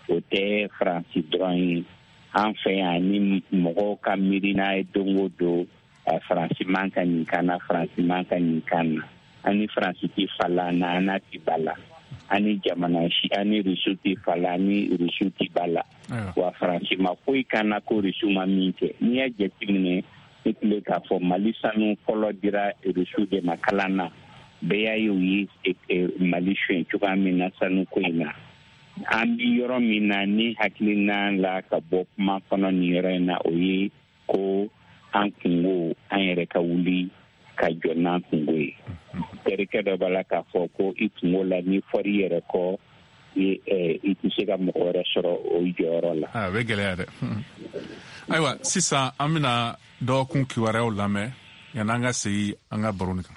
o tɛ Faransi dɔrɔn ye. An fɛ yan ni mɔgɔw ka miirina ye don o don, Faransi man ka nin kan na, Faransi man ka nin kan na. An ni Faransi tɛ fa la, na an n'a tɛ ba la. An ni jamana si, an ni Rusiw tɛ fa la, an ni Rusiw tɛ ba la. Wa Faransi ma foyi kan na ko Rusiw ma min kɛ. N'i y'a jateminɛ, ne tun bɛ k'a fɔ Mali sanu fɔlɔ dira Rusiw de ma kalan na. Bɛɛ y'a ye u ye Mali suɲɛ cogoya min na sanuko in na. An bɛ yɔrɔ min na, ni hakilina la ka bɔ kuma kɔnɔ nin yɔrɔ in na, o ye ko an kungo, an yɛrɛ ka wuli ka jɔ n'an kungo ye. Terikɛ dɔ b'a la k'a fɔ ko i kungo la, n'i fɔr'i yɛrɛ kɔ, i tɛ se ka mɔgɔ wɛrɛ sɔrɔ o jɔyɔrɔ la. A bɛ gɛlɛya dɛ. Ayiwa, sisan an bɛna dɔgɔkun kibaruyaw lamɛn yan'an ka segin an ka baro nin kan.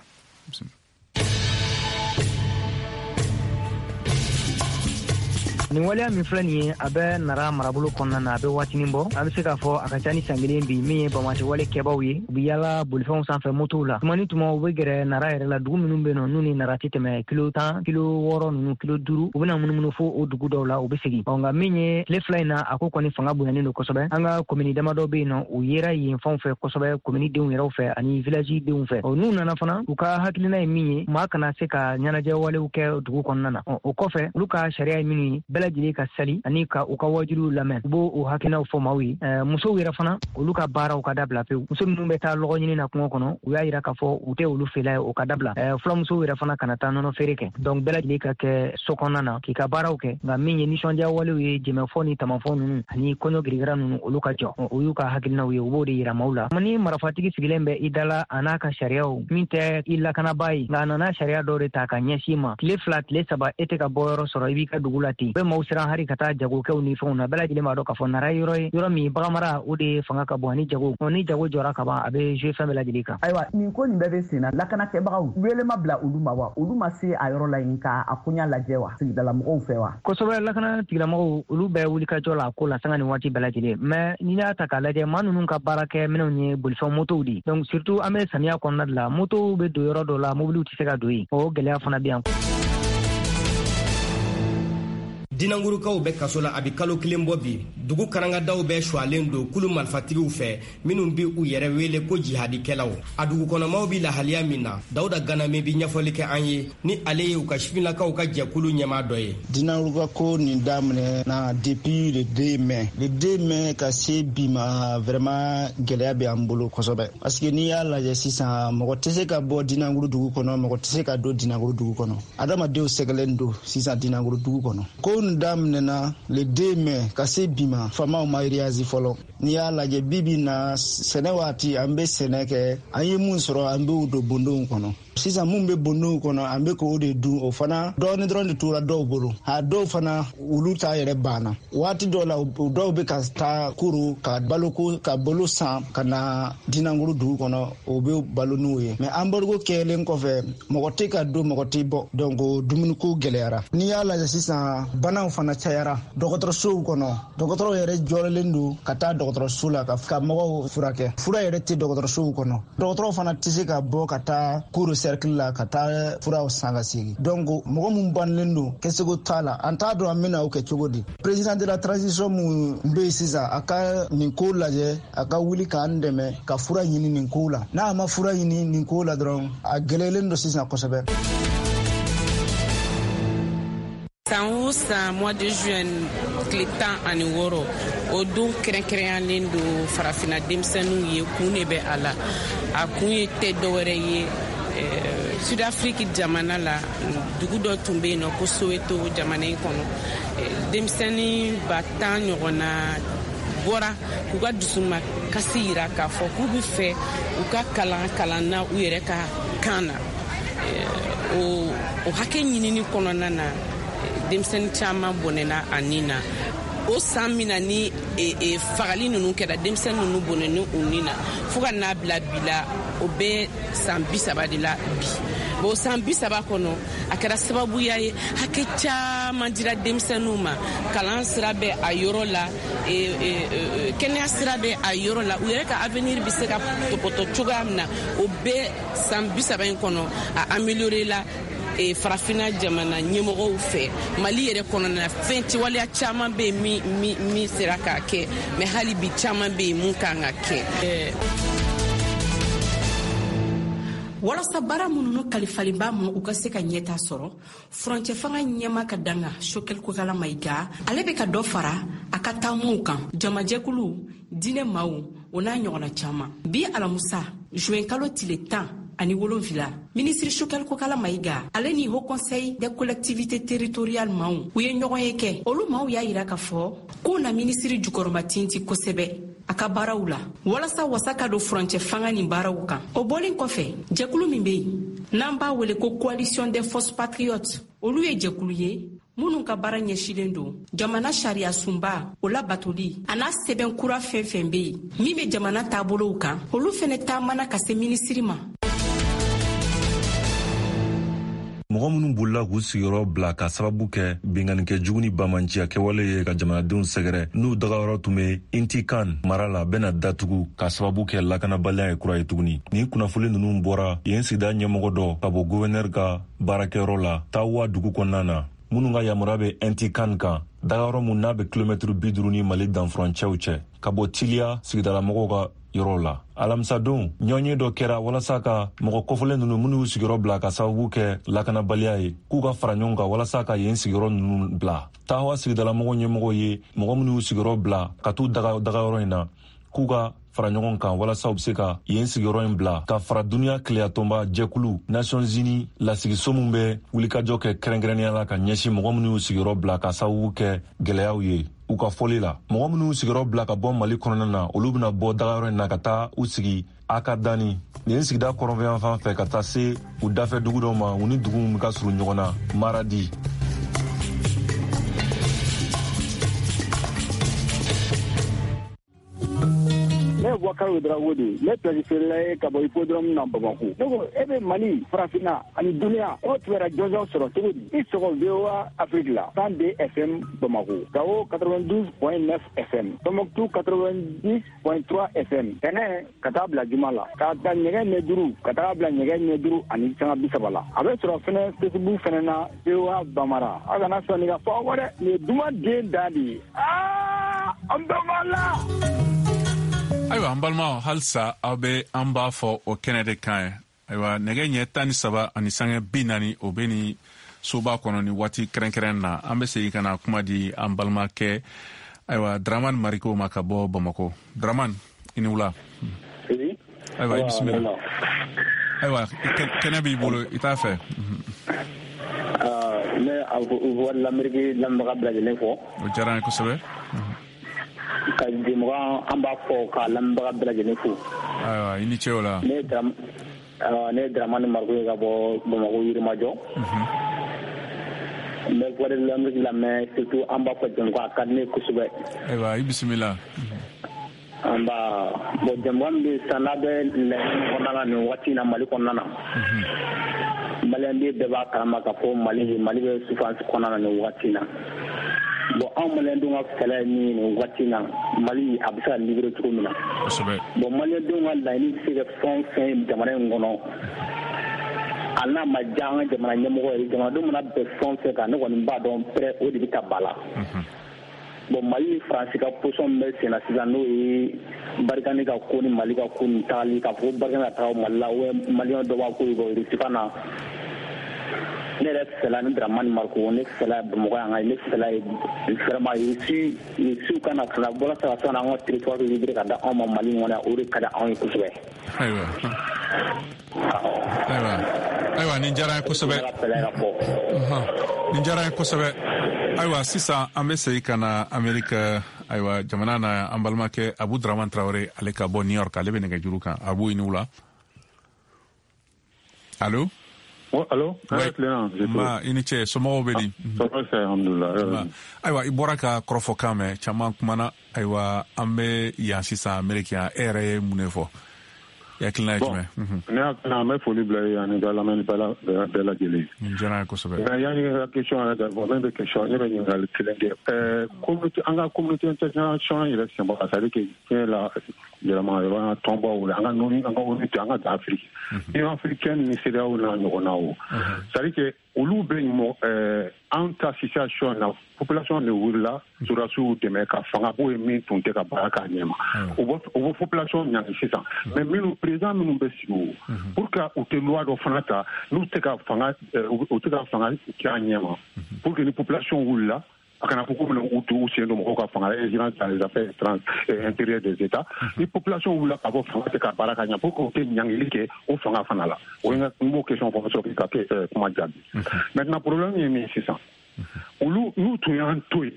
Nin waleya min filɛ nin ye, a bɛ Nara marabolo kɔnɔna na, a bɛ waatinin bɔ. An bɛ se k'a fɔ a ka ca ni san kelen bi, min ye banbaaci wale kɛbaw ye. U bɛ yaala bolifɛnw sanfɛ, motow la. Tuma ni tuma u bɛ gɛrɛ Nara yɛrɛ la, dugu minnu bɛ yen nɔ n'u ni Nara tɛ tɛmɛ kilo tan, kilo wɔɔrɔ ninnu, kilo duuru. U bɛna munumunu fo o dugu dɔw la, u bɛ segin. Ɔ nka min ye tile fila in na, a ko kɔni fanga bonyanen don kosɛbɛ. An ka komini damadɔ bɛ yen nɔ, u yera yen fanw fɛ kosɛbɛ, komini denw yɛrɛw fɛ ani village denw fɛ. Ɔ n'u nana fana, u ka hakilina ye min ye, maa kana se ka ɲɛnajɛ walew kɛ dugu kɔnɔna na. O kɔfɛ, olu ka sariya ye minnu ye, bɛɛ lajɛlen ka sali ani ka u ka wajuliw lamɛn, u b'o o hakilinaw fɔ maaw ye. Musow yɛrɛ fana, olu ka baaraw ka dabila pewu. Muso minnu bɛ taa lɔgɔ ɲini na kungo kɔnɔ, u y'a yira k'a fɔ u tɛ olu fɛla ye, o ka dabila. Fulamusow yɛrɛ fana kana taa nɔnɔ feere kɛ. Donc bɛɛ lajɛlen ka kɛ so kɔnɔna na k'i ka baaraw kɛ. Nka min ye nisɔndiya walew ye, jɛmɛfɔ ni tamafɔ ninnu ani kɔɲɔ girigara ninnu, olu ka jɔ. O y'u ka hakilinaw ye, u b'o de yira maaw la. Ni marifatigi sigilen bɛ i da la a n'a ka sariyaw, min tɛ i lakanabaa ye, nka a nana sariya dɔw de ta ka ɲɛsin ma. Tile fila, tile saba, e tɛ ka bɔ yɔrɔ sɔrɔ, i b'i ka dugu la ten. Bɛ maaw siran hari ka taa jagokɛw ni fɛnw na. Bɛɛ lajɛlen b'a dɔn k'a fɔ Nara ye yɔrɔ ye, yɔrɔ min baganmara o de fanga ka bon ani jago. Ni jago jɔra ka ban, a bɛ jouer fɛn bɛɛ lajɛlen kan. Ayiwa, nin ko nin bɛɛ bɛ sen na, lakanakɛbagaw wele ma bila olu ma wa? Olu ma se a yɔrɔ la yen ka a koɲa lajɛ wa, sigidala mɔgɔw fɛ wa? Kosɛbɛ, lakana tigilamɔgɔw olu bɛɛ wuli ka jɔ la a ko la sanga ni waati bɛɛ lajɛlen. Mais n'i y'a ta k'a lajɛ, maa ninnu ka baara kɛ minɛnw ye bolifɛn motow de. Donc surtout an bɛ samiya kɔnɔna de la, motow bɛ don yɔrɔ dɔ la, mobiliw tɛ se ka don yen. O gɛlɛya fana bɛ yan. Dinangurukaw bɛ kaso la a bɛ kalo kelen bɔ bi. Dugu karangadaw bɛɛ suwalen don kulu marifatigiw fɛ minnu bɛ u yɛrɛ wele ko jihadikɛlaw. A dugukɔnɔmaw bɛ lahaliya min na, Dawuda Ganame bɛ ɲɛfɔli kɛ an ye ni ale ye u ka sifinnakaw ka jɛkulu ɲɛmaa dɔ ye. Dinanguruka ko nin daminɛ na depuis le deux mai. Le deux mai ka se bi ma, vraiment gɛlɛya bɛ an bolo kosɛbɛ. Parce que n'i y'a lajɛ sisan, mɔgɔ tɛ se ka bɔ Dinanguru dugu kɔnɔ, mɔgɔ tɛ se ka don Dinanguru dugu kɔnɔ. Adamadenw sɛgɛlen don sisan Dinanguru dugu kɔnɔ. Ko nin daminɛna le deux mai ka se bi ma, faamaw ma réagi fɔlɔ. N'i y'a lajɛ bi bi na, sɛnɛ waati an bɛ sɛnɛ kɛ, an ye mun sɔrɔ an b'o don bondonw kɔnɔ. Sisan mun bɛ bondonw kɔnɔ, an bɛ k'o de dun, o fana dɔɔni dɔrɔn de tora dɔw bolo. A dɔw fana olu ta yɛrɛ banna. Waati dɔw la, dɔw bɛ ka taa kuru ka baloko ka balo san ka na Dinanguru dugu kɔnɔ, o bɛ balo n'o ye. Mais embargo kɛlen kɔfɛ, mɔgɔ tɛ ka don, mɔgɔ tɛ bɔ, donc dumuniko gɛlɛyara. N'i y'a lajɛ sisan, banaw fana cayara dɔgɔtɔrɔsow kɔnɔ. Dɔgɔtɔrɔw yɛrɛ jɔrɔlen don ka taa dɔgɔtɔrɔso la ka mɔgɔw furakɛ. Fura yɛrɛ tɛ dɔgɔtɔrɔsow kɔnɔ. Dɔgɔtɔrɔw fana tɛ se ka bɔ ka taa kuru cercle la ka taa furaw san ka segin. Donc mɔgɔ mun bannen don, kɛcogo t'a la, an t'a dɔn an bɛna o kɛ cogo di. Président de la transition mun bɛ yen sisan, a ka nin ko lajɛ, a ka wuli k'an dɛmɛ ka fura ɲini nin ko la. N'a ma fura ɲini nin ko la dɔrɔn, a gɛlɛyalen don sisan kosɛbɛ. San o san, mois de juin tile tan ani wɔɔrɔ, o don kɛrɛnkɛrɛnyalen don farafinna denmisɛnninw ye. Kun de bɛ a la, a kun ye tɛ dɔwɛrɛ ye. Sud-Afrique jamana la, dugu dɔ tun bɛ yen nɔ ko Soweto jamana in kɔnɔ, denmisɛnnin ba tan ɲɔgɔnna bɔra k'u ka dusuma kasi yira k'a fɔ k'u bɛ fɛ u ka kalan kalan na u yɛrɛ ka kan na. O o hakɛ ɲinini kɔnɔna na, denmisɛnnin caman bɔnɛna a nin na. O san min na ni e, e, fagali ninnu kɛra, denmisɛnnin ninnu bɔnɛni u nin na fo ka n'a bila bi la, o bɛ san bi saba de la bi. Bon, san bi saba kɔnɔ, a kɛra sababuya ye hakɛ caman dira denmisɛnninw ma. Kalan sira bɛ a yɔrɔ la, e, e, kɛnɛya sira bɛ a yɔrɔ la, u yɛrɛ ka avenir bɛ se ka tɔpɔtɔ cogoya min na, o bɛ san bi saba in kɔnɔ a amélioré la. E farafinna jamana ɲɛmɔgɔw fɛ, Mali yɛrɛ kɔnɔna na, fɛn waleya caman bɛ yen min min min sera k'a kɛ, mais hali bi caman bɛ yen mun kan ka kɛ. Walasa baara minnu kalifalen b'a ma, u ka se ka ɲɛta sɔrɔ, furancɛ fanga ɲɛma ka danga Choguel Kokalla Maïga, ale bɛ ka dɔ fara a ka taamaw kan, jamajɛkulu, diinɛ maaw, o n'a ɲɔgɔnna caman. Bi alamusa juin kalo tile tan ani wolonfila, minisiri Choguel Kokalla Maïga ale ni Haut Conseil des collectivités territoriales maaw, u ye ɲɔgɔn ye kɛ. Olu maaw y'a yira k'a fɔ k'u na minisiri jukɔrɔma tinti kosɛbɛ a ka baaraw la, walasa wasa ka don furancɛ fanga nin baaraw kan. O bɔlen kɔfɛ, jɛkulu min be yen n'an b'a wele ko Coalition des forces patriotes, olu ye jɛkulu ye minnu ka baara ɲɛsilen don jamana sariya sunba o labatoli a n'a sɛbɛn kura fɛn fɛn be yen min be jamana taabolow kan, olu fɛnɛ taamana ka se minisiri ma. Mɔgɔ minnu bolila k'u sigiyɔrɔ bila ka sababu kɛ binkannikɛ jugu ni bamanciya kɛwale ye ka jamanadenw sɛgɛrɛ, n'u dagayɔrɔ tun bɛ Intikan mara la, bɛna datugu ka sababu kɛ lakanabaliya ye kura ye tuguni. Nin kunnafoni ninnu bɔra yen sigida ɲɛmɔgɔ dɔ ka bɔ guvɛnɛri ka baarakɛyɔrɔ la Tawa dugu kɔnɔna na, minnu ka yamaruya bɛ Intikan kan, dagayɔrɔ mun n'a bɛ kilomɛtiri bi duuru ni Mali danfurancɛw cɛ, ka bɔ Tiliya sigidalamɔgɔw ka yɔrɔw la. Alamisadon, ɲɔgɔnye dɔ kɛra walasa ka mɔgɔ kɔfɔlen ninnu minnu y'u sigiyɔrɔ bila ka sababu kɛ lakanabaliya ye, k'u ka fara ɲɔgɔn kan walasa ka yen sigiyɔrɔ ninnu bila. Tawa sigidalamɔgɔ ɲɛmɔgɔ ye mɔgɔ minnu y'u sigiyɔrɔ bila ka t'u daga dagayɔrɔ in na, k'u ka fara ɲɔgɔn kan walasa u bɛ se ka yen sigiyɔrɔ in bila, ka fara duniya tileyatɔnba jɛkulu Nations Unies lasigiso min bɛ wulikajɔ kɛ kɛrɛnkɛrɛnnenya la ka ɲɛsin mɔgɔ minnu y'u sigiyɔrɔ bila ka sababu kɛ gɛlɛyaw ye. U ka fɔli la, mɔgɔ minnu y'u sigiyɔrɔ bila ka bɔ Mali kɔnɔna na, olu bɛna bɔ dagayɔrɔ in na ka taa u sigi Akadani nin sigida kɔrɔnfɛyan fan fɛ, ka taa se u dafɛ dugu dɔ ma, u ni dugu min ka surun ɲɔgɔn na, Maradi. Ne ye Boubacar Abubakar Ouedraogo de ye. Ne place feerela ye ka bɔ hippodrome na Bamakɔ. Ne ko e bɛ Mali, Farafinna ani duniya o kibaruya jɔnjɔn sɔrɔ cogo di? I sɔgɔ V O A Afrique la cent deux F M Bamakɔ, Gao quatre-vingt-douze point neuf F M, Tombouctou quatre-vingt-dix point trois F M. Tɛnɛ ka taa bila juma la, k'a ta nɛgɛ ɲɛ duuru ka taa bila nɛgɛ ɲɛ duuru ani sanga bi saba la. A bɛ sɔrɔ fɛnɛ Facebook fɛnɛ na V O A Bamara. A kana sɔn nin ka fɔ aw kɔ dɛ, nin ye duman den dan de ye. Aa, an bɛɛ b'a la. Ayiwa, an balimaw, halisa aw bɛ an b'a fɔ o kɛnɛ de kan ye. Ayiwa, nɛgɛ ɲɛ tan ni saba ani sanga bi naani o bɛ nin soba kɔnɔ ni waati kɛrɛnkɛrɛn na. An bɛ segin ka na kuma di an balimakɛ ayiwa Dramane Mariko ma ka bɔ Bamakɔ. Dramane, i ni wula. Ayiwa, i bisimila. Ayiwa, kɛnɛ b'i bolo, i t'a fɛ. Ne Voix de l'Amérique lamɛnbaga bɛɛ lajɛlen fo. O diyara n ye kosɛbɛ. Ka jɛmukan an b'a fɔ ka lamɛnbaga bɛɛ lajɛlen fo. Ayiwa, i ni ce o la. Ne ye ne ye Dramane Mariko ye ka bɔ Bamakɔ Yirimajɔ. N bɛ Voix de l'Amérique lamɛn, surtout an b'a fɔ jɛmukan a ka di ne ye kosɛbɛ. Ayiwa, i bisimila. An b'a bon jɛmukan min bɛ sisan n'a bɛ laɲini kɔnɔna na nin waati in na Mali kɔnɔna na. Maliyɛnden bɛɛ b'a kalama k'a fɔ Mali Mali bɛ souffrance kɔnɔna na nin waati in na. Bon anw maliyɛndenw ka fɛɛrɛ ye min ye nin waati in na, Mali a bɛ se ka libérer cogo min na. Kosɛbɛ. Bon maliyɛndenw ka laɲini bɛ se ka fɛn o fɛn ye jamana in kɔnɔ, a n'a ma diya an ka jamana ɲɛmɔgɔ ye, jamanadenw mana bɛn fɛn o fɛn kan, ne kɔni b'a dɔn pɛrɛ o de bɛ ta ba la. Bon Mali ni Faransi ka position min bɛ sen na sisan, n'o ye Barikani ka ko ni Mali ka ko ni tagali k'a fɔ ko Barikani ka taga Mali la, ou maliyɛn dɔ b'a ko Russie ka na. Ne yɛrɛ fɛla ni Dramane Mariko, ne fɛla Bamakɔ yan ka ne fɛla ye vraiment Russie Russie ka na fana bɔra sa ka an ka territoire libéré ka da anw ma Mali kɔnɔ yan, o de ka di anw ye kosɛbɛ. Ayiwa. Ayiwa. Ayiwa, nin diyara n ye kosɛbɛ. Nin diyara n ye kosɛbɛ. Ayiwa, sisan an bɛ segin ka na Amerika, ayiwa jamana na, an balimakɛ Abu Dramane Traoré, ale ka bɔ New York, ale bɛ nɛgɛjuru kan. Abu, i ni wula. Allo. Oh, allo. Ma, i ni ce, somɔgɔw bɛ di? Ayiwa, i bɔra ka kɔrɔfɔkan mɛn, caman kumana. Ayiwa, an bɛ yan sisan Ameriki yan, e yɛrɛ ye mun de fɔ? I hakilina ye jumɛn? Ne hakilina, an bɛ foli bila i ye ani ka lamɛnni bɛɛ lajɛlen. Nin diyara n ye kosɛbɛ. Nka yanni ka question yɛrɛ ka fɔ, ne bɛ question, ne bɛ ɲininkali kelen kɛ. Ɛɛ communauté, an ka communauté internationale yɛrɛ sen bɔ la, c'est à dire que diɲɛ la yɛlɛma yɛlɛma tɔnbaw la, an ka ONU, an ka ONU tɛ, an ka Afrique. Union africaine ni CEDEAO n'a ɲɔgɔnnaw. C'est à dire que olu bɛ mɔ an ta situation na, population de wulila sɔrɔdasiw dɛmɛ ka fanga b'o ye min tun tɛ ka baara k'a ɲɛ ma. U bɛ u bɛ population ɲangi sisan. Mais minnu président minnu bɛ sigi o, pour que u tɛ loi dɔ fana ta n'u tɛ ka fanga u tɛ ka fanga kɛ a ɲɛ ma, pour que ni population wulila a kana fɔ ko minnu u t'u sen don mɔgɔw ka fanga la, ingérence dans les affaires intérieures des États. Ni population wulila ka bɔ fanga tɛ ka baara ka ɲɛ, pour que u tɛ ɲangili kɛ o fanga fana la. O ye n b'o question fɔ sɔrɔ k'i ka kuma jaabi. Maintenant problème ye min sisan, olu n'u tun y'an to yen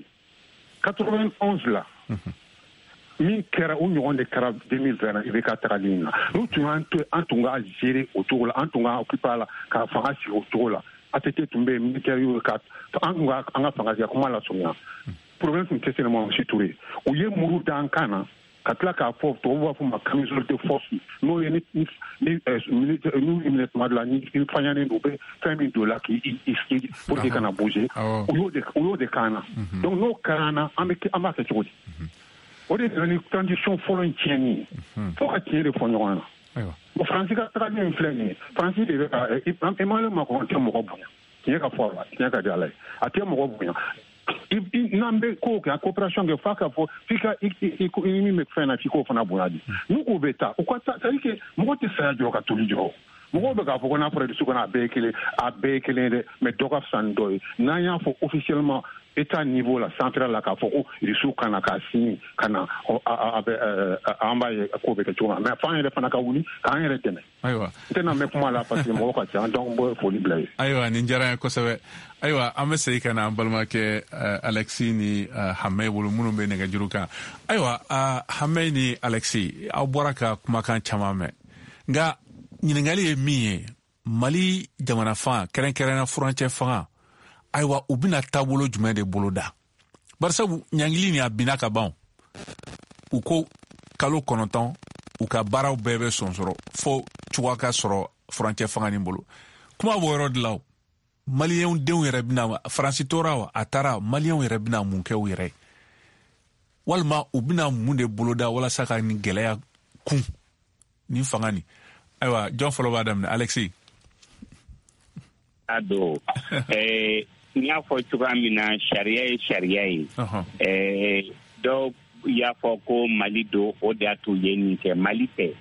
quatre-vingt-onze la, min kɛra o ɲɔgɔn de kɛra deux mille vingt na I B K tagali in na. N'u tun y'an to yen, an tun k'a gérer o cogo la, an tun k'a occuper a la k'a fanga sigi o cogo la. A T T tun bɛ yen, militaire y'o ka an tun ka an ka fanga sigi kuma lasurunya. Problème tun tɛ se ne ma Monsieur Touré. U ye muru da an kan na ka tila k'a fɔ, tubabu b'a fɔ ma camisole de force, n'o ye ni ni militaire n'u y'i minɛ tuma dɔ la, ni i faɲanen don, u bɛ fɛn min don la k'i i pour que kana bouger. U y'o de u y'o de k'an na. Donc n'o kɛra an na, an bɛ an b'a kɛ cogo di? O de nana ni transition fɔlɔ in tiɲɛni ye. Fo ka tiɲɛ de fɔ ɲɔgɔn na. Bon, Faransi ka tagali min filɛ nin ye, Faransi de bɛ ka Emmanuel Macron tɛ mɔgɔ bonya. Tiɲɛ ka fɔ a la, tiɲɛ ka di Ala ye, a tɛ mɔgɔ bonya. N'an bɛ kow kɛ, coopération kɛ, f'a ka fɔ f'i ka i i min bɛ fɛn na, f'i k'o fana bonya de. N'u k'u bɛ taa, u ka taa, c'est à dire que mɔgɔ tɛ saya jɔ ka toli jɔ. Mɔgɔw bɛ k'a fɔ ko n'a fɔra dusu kɔnɔ a bɛɛ ye kelen, a bɛɛ ye kelen dɛ, mais dɔ ka fisa ni dɔ ye. N'an y'a fɔ officiellement État niveau la central la k'a fɔ ko Russiw ka na k'a signer ka na, a bɛ an b'a ye k'o bɛ kɛ cogo min na, mais f'an yɛrɛ fana ka wuli k'an yɛrɛ dɛmɛ. Ayiwa, n tɛna mɛn kuma la parce que mɔgɔw ka ca, donc n bɛ foli bila yen. Ayiwa, nin diyara n ye kosɛbɛ. Ayiwa, an bɛ segin ka na an balimakɛ Alexis ni Hamɛ bolo minnu bɛ nɛgɛjuru kan. Ayiwa, Hamɛ ni Alexis, aw bɔra ka kumakan caman mɛn, nka ɲininkali ye min ye, Mali jamana fan kɛrɛnkɛrɛnnenya furancɛ fanga, ayiwa u bɛna taabolo jumɛn de boloda? Barisabu ɲangili nin a binna ka ban. U ko kalo kɔnɔntɔn U ka baaraw bɛɛ bɛ sɔnsɔrɔ fo cogoya ka sɔrɔ furancɛ fanga nin bolo. Kuma b'o yɔrɔ de la o. Maliyɛnw denw yɛrɛ bɛna Faransi tora wa a taara, maliyɛnw yɛrɛ bɛna mun kɛ u yɛrɛ ye, walima u bɛna mun de boloda walasa ka nin gɛlɛya kun nin fanga nin? Ayiwa, jɔn fɔlɔ b'a daminɛ? Alexis. A don ɛɛ n y'a fɔ cogoya min na, sariya ye sariya ye. Ɛɛ dɔw y'a fɔ ko Mali don, o de y'a to u ye nin kɛ. Mali tɛ,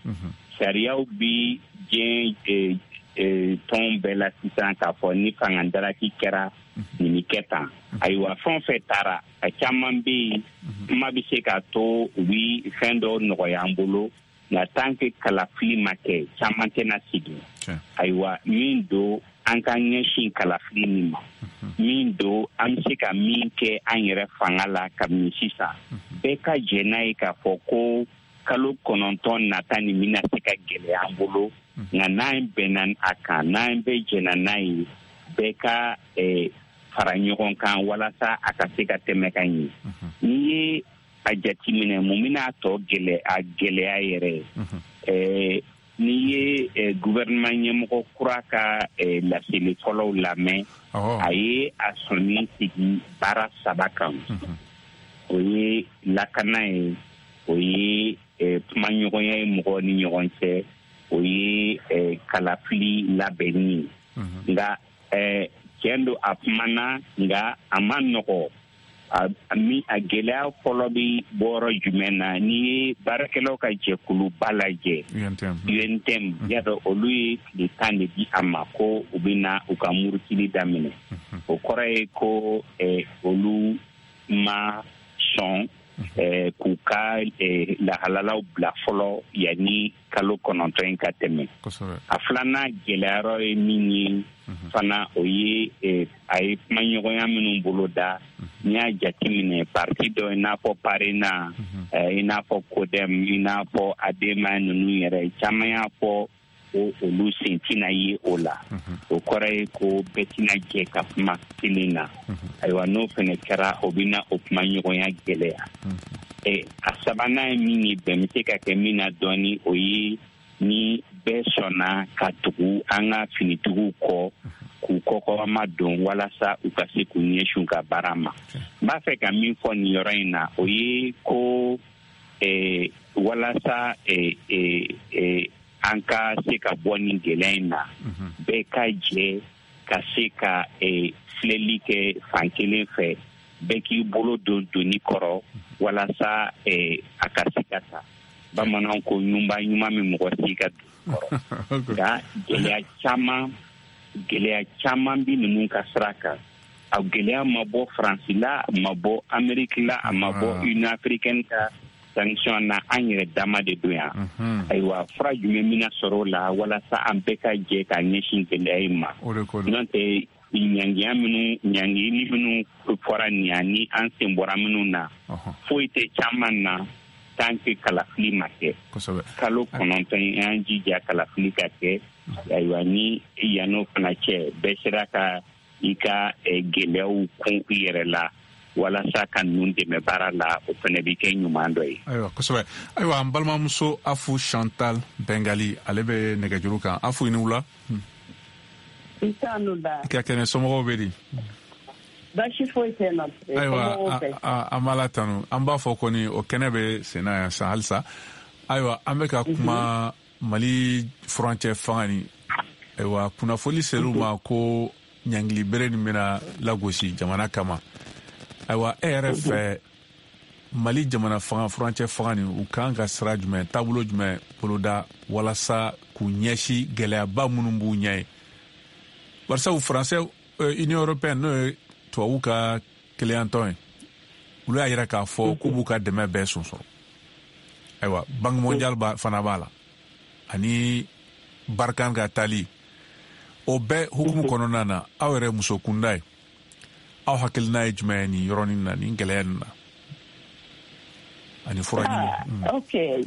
sariyaw bi diɲɛ tɔn bɛɛ la sisan k'a fɔ ni fanga daraki kɛra nin bɛ kɛ tan. Ayiwa, fɛn o fɛn taara, a caman bɛ yen, kuma bɛ se k'a to u bɛ fɛn dɔw nɔgɔya an bolo, nka tant que kalafili ma kɛ, caman tɛna segin. Ayiwa, min don, an ka ɲɛsin kalafili nin ma, min don, an bɛ se ka min kɛ an yɛrɛ fanga la kabini sisan, bɛɛ ka jɛ n'a ye k'a fɔ ko kalo kɔnɔntɔn nata nin bɛna se ka gɛlɛya an bolo, nka n'an bɛnna a kan, n'an bɛɛ jɛnna n'a ye, bɛɛ ka fara ɲɔgɔn kan walasa a ka se ka tɛmɛ ka ɲɛ. N'i ye a jateminɛ, mun bɛna a tɔ gɛlɛya, a gɛlɛya yɛrɛ ye, n'i ye gouvernement ɲɛmɔgɔ kura ka laseli fɔlɔw lamɛn, a ye a sɔnni sigi baara saba kan. O ye lakana ye, o ye kumaɲɔgɔnya ye mɔgɔw ni ɲɔgɔn cɛ, o ye kalafili labɛnni ye. Nka tiɲɛ don, a kumana, nka a ma nɔgɔ. A a gɛlɛya fɔlɔ bɛ bɔyɔrɔ jumɛn na? N'i ye baarakɛlaw ka jɛkuluba lajɛ, U N T M, y'a dɔn olu ye tile tan de di a ma ko u bɛna u ka murutili daminɛ. O kɔrɔ ye ko olu ma sɔn k'u ka lahalalaw bila fɔlɔ yanni kalo kɔnɔntɔn in ka tɛmɛ. A filanan gɛlɛyayɔrɔ ye min ye fana, o ye a ye kumaɲɔgɔnya minnu bolo da. N'i y'a jateminɛ, parti dɔ i n'a fɔ PARENA, i n'a fɔ CODEM, i n'a fɔ ADEMA ninnu yɛrɛ caman y'a fɔ ko olu sen tɛna ye o la. O kɔrɔ ye ko bɛɛ tɛna jɛ ka kuma kelen na. Ayiwa, n'o fana kɛra, o bɛna o kumaɲɔgɔnya gɛlɛya. A sabanan ye min ye, bɛn bɛ se ka kɛ min na dɔɔni, o ye ni bɛɛ sɔnna ka tugu an ka finitigiw kɔ k'u kɔkɔrɔma don walasa u ka se k'u ɲɛsin u ka baara ma. N b'a fɛ ka min fɔ nin yɔrɔ in na, o ye ko walasa an ka se ka bɔ nin gɛlɛya in na, bɛɛ ka jɛ ka se ka filɛli kɛ fan kelen fɛ, bɛɛ k'i bolo don doni kɔrɔ walasa a ka se ka taa. Bamananw ko ɲuman ɲuman min mɔgɔ si ka doni kɔrɔ. Nka gɛlɛya caman gɛlɛya caman bɛ ninnu ka sira kan. A gɛlɛya ma bɔ Faransi la, a ma bɔ Amérique la, a ma bɔ Union africaine ka sanction na, an yɛrɛ dama de don yan. Ayiwa, fura jumɛn bɛna sɔrɔ o la walasa an bɛɛ ka jɛ ka ɲɛsin gɛlɛya in ma? N'o tɛ, ɲangiya minnu ɲangili minnu fɔra nin yan, ni an sen bɔra minnu na, foyi tɛ caman na tant que kalafili ma kɛ. Kalo kɔnɔntɔn an jija kalafili ka kɛ. Ayiwa, ni yann'o fana cɛ, bɛɛ sera ka i ka gɛlɛyaw kun i yɛrɛ la walasa ka ninnu dɛmɛ baara la, o fana bɛ kɛ ɲuman dɔ ye. Ayiwa, kosɛbɛ. Ayiwa, an balimamuso Afu Chantal Bengali, ale bɛ nɛgɛjuru kan. Afu, i ni wula. I ni ka kɛnɛ, somɔgɔw bɛ di? Baasi foyi tɛ n na. Ayiwa, an b'a la tanu. An b'a fɔ kɔni o kɛnɛ bɛ sen na yan san halisa. Ayiwa, an bɛ ka kuma Mali furancɛ fanga ni. Ayiwa, kunnafoni ser'u ma ko ɲangili bere nin bɛna lagosi jamana kama. Ayiwa, e yɛrɛ fɛ, Mali jamana fanga furancɛ fanga nin, u kan ka sira jumɛn, taabolo jumɛn boloda walasa k'u ɲɛsin gɛlɛyaba minnu b'u ɲɛ ye? Barisabu Faransɛ, Union européenne, n'o ye tubabu ka keleyantɔn ye, olu y'a yira k'a fɔ k'u b'u ka dɛmɛ bɛɛ sonsɔrɔ. Ayiwa, Banque mondiale fana b'a la, ani Barkhane ka taali. O bɛɛ hukumu kɔnɔna na, aw yɛrɛ muso kunda ye, aw hakilina ye jumɛn ye nin yɔrɔnin na, nin gɛlɛya nin na, ani fura ɲini? Ok,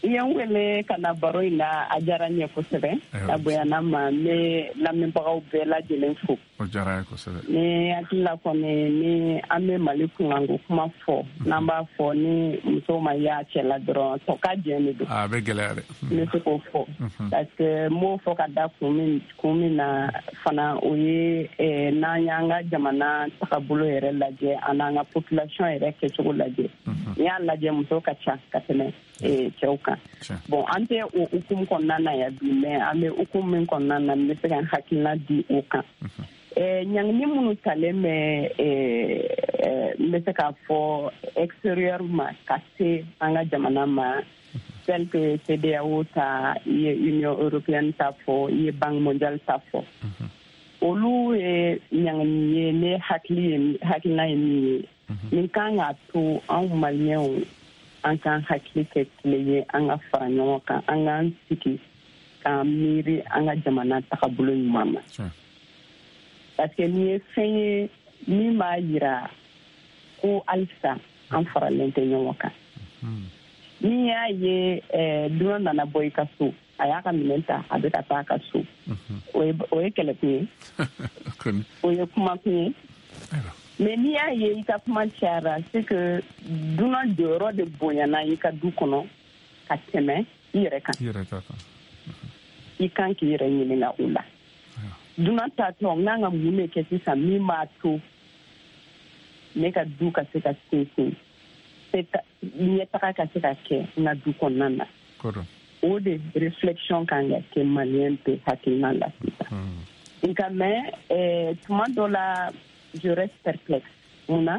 I ye n wele ka na baro in na, a diyara n ye kosɛbɛ. A bonyana n ma, n bɛ lamɛnbagaw bɛɛ lajɛlen fo. O diyara n ye kosɛbɛ. Ni hakili la kɔni, ni an bɛ Mali kunkanko kuma fɔ, n'an b'a fɔ ni muso ma y'a cɛ la dɔrɔn, tɔ ka jɛn de don. A bɛ gɛlɛya dɛ. N bɛ se k'o fɔ. Parce que n b'o fɔ ka da kun min kun min na fana, o ye n'an y'an ka jamana tagabolo yɛrɛ lajɛ, an n'an ka population yɛrɛ kɛcogo lajɛ. N'i y'a lajɛ, muso ka ca ka tɛmɛ cɛw kan. Bon, an tɛ o hukumu kɔnɔna na yan bi, mais an bɛ hukumu min kɔnɔna na, n bɛ se ka n hakilina di o kan. Ɲangini minnu talen bɛ, n bɛ se k'a fɔ extérieur ma ka se an ka jamana ma, tel que C E D E A O ta, i ye Union européenne ta fɔ, i ye Banque mondiale ta fɔ. Olu ye ɲangini ye, ne hakili ye, hakilina ye min ye, nin kan k'a to anw maliyɛnw, an k'an hakili kɛ kelen ye, an ka fara ɲɔgɔn kan, an k'an sigi k'an miiri an ka jamana tagabolo ɲuman ma. Parce que nin ye fɛn ye min b'a yira ko halisa an faralen tɛ ɲɔgɔn kan. N'i y'a ye dunan nana bɔ i ka so, a y'a ka minɛn ta, a bɛ ka taa a ka so, o ye o ye kɛlɛkun ye, o ye kumakun ye. Mais n'i y'a ye i ka kuma cayara, c'est que dunan jɔyɔrɔ de bonyana i ka du kɔnɔ ka tɛmɛ i yɛrɛ kan. I yɛrɛ ta kan. I kan k'i yɛrɛ ɲininka o la. Dunan tatɔ, n kan ka mun de kɛ sisan min b'a to ne ka du ka se ka sinsin, ɲɛtaga ka se ka kɛ n ka du kɔnɔna na. O de réflexion kan ka kɛ maliyɛn bɛɛ hakilina la sisan. Nka mais tuma dɔ la, je reste perplexe. Mun na?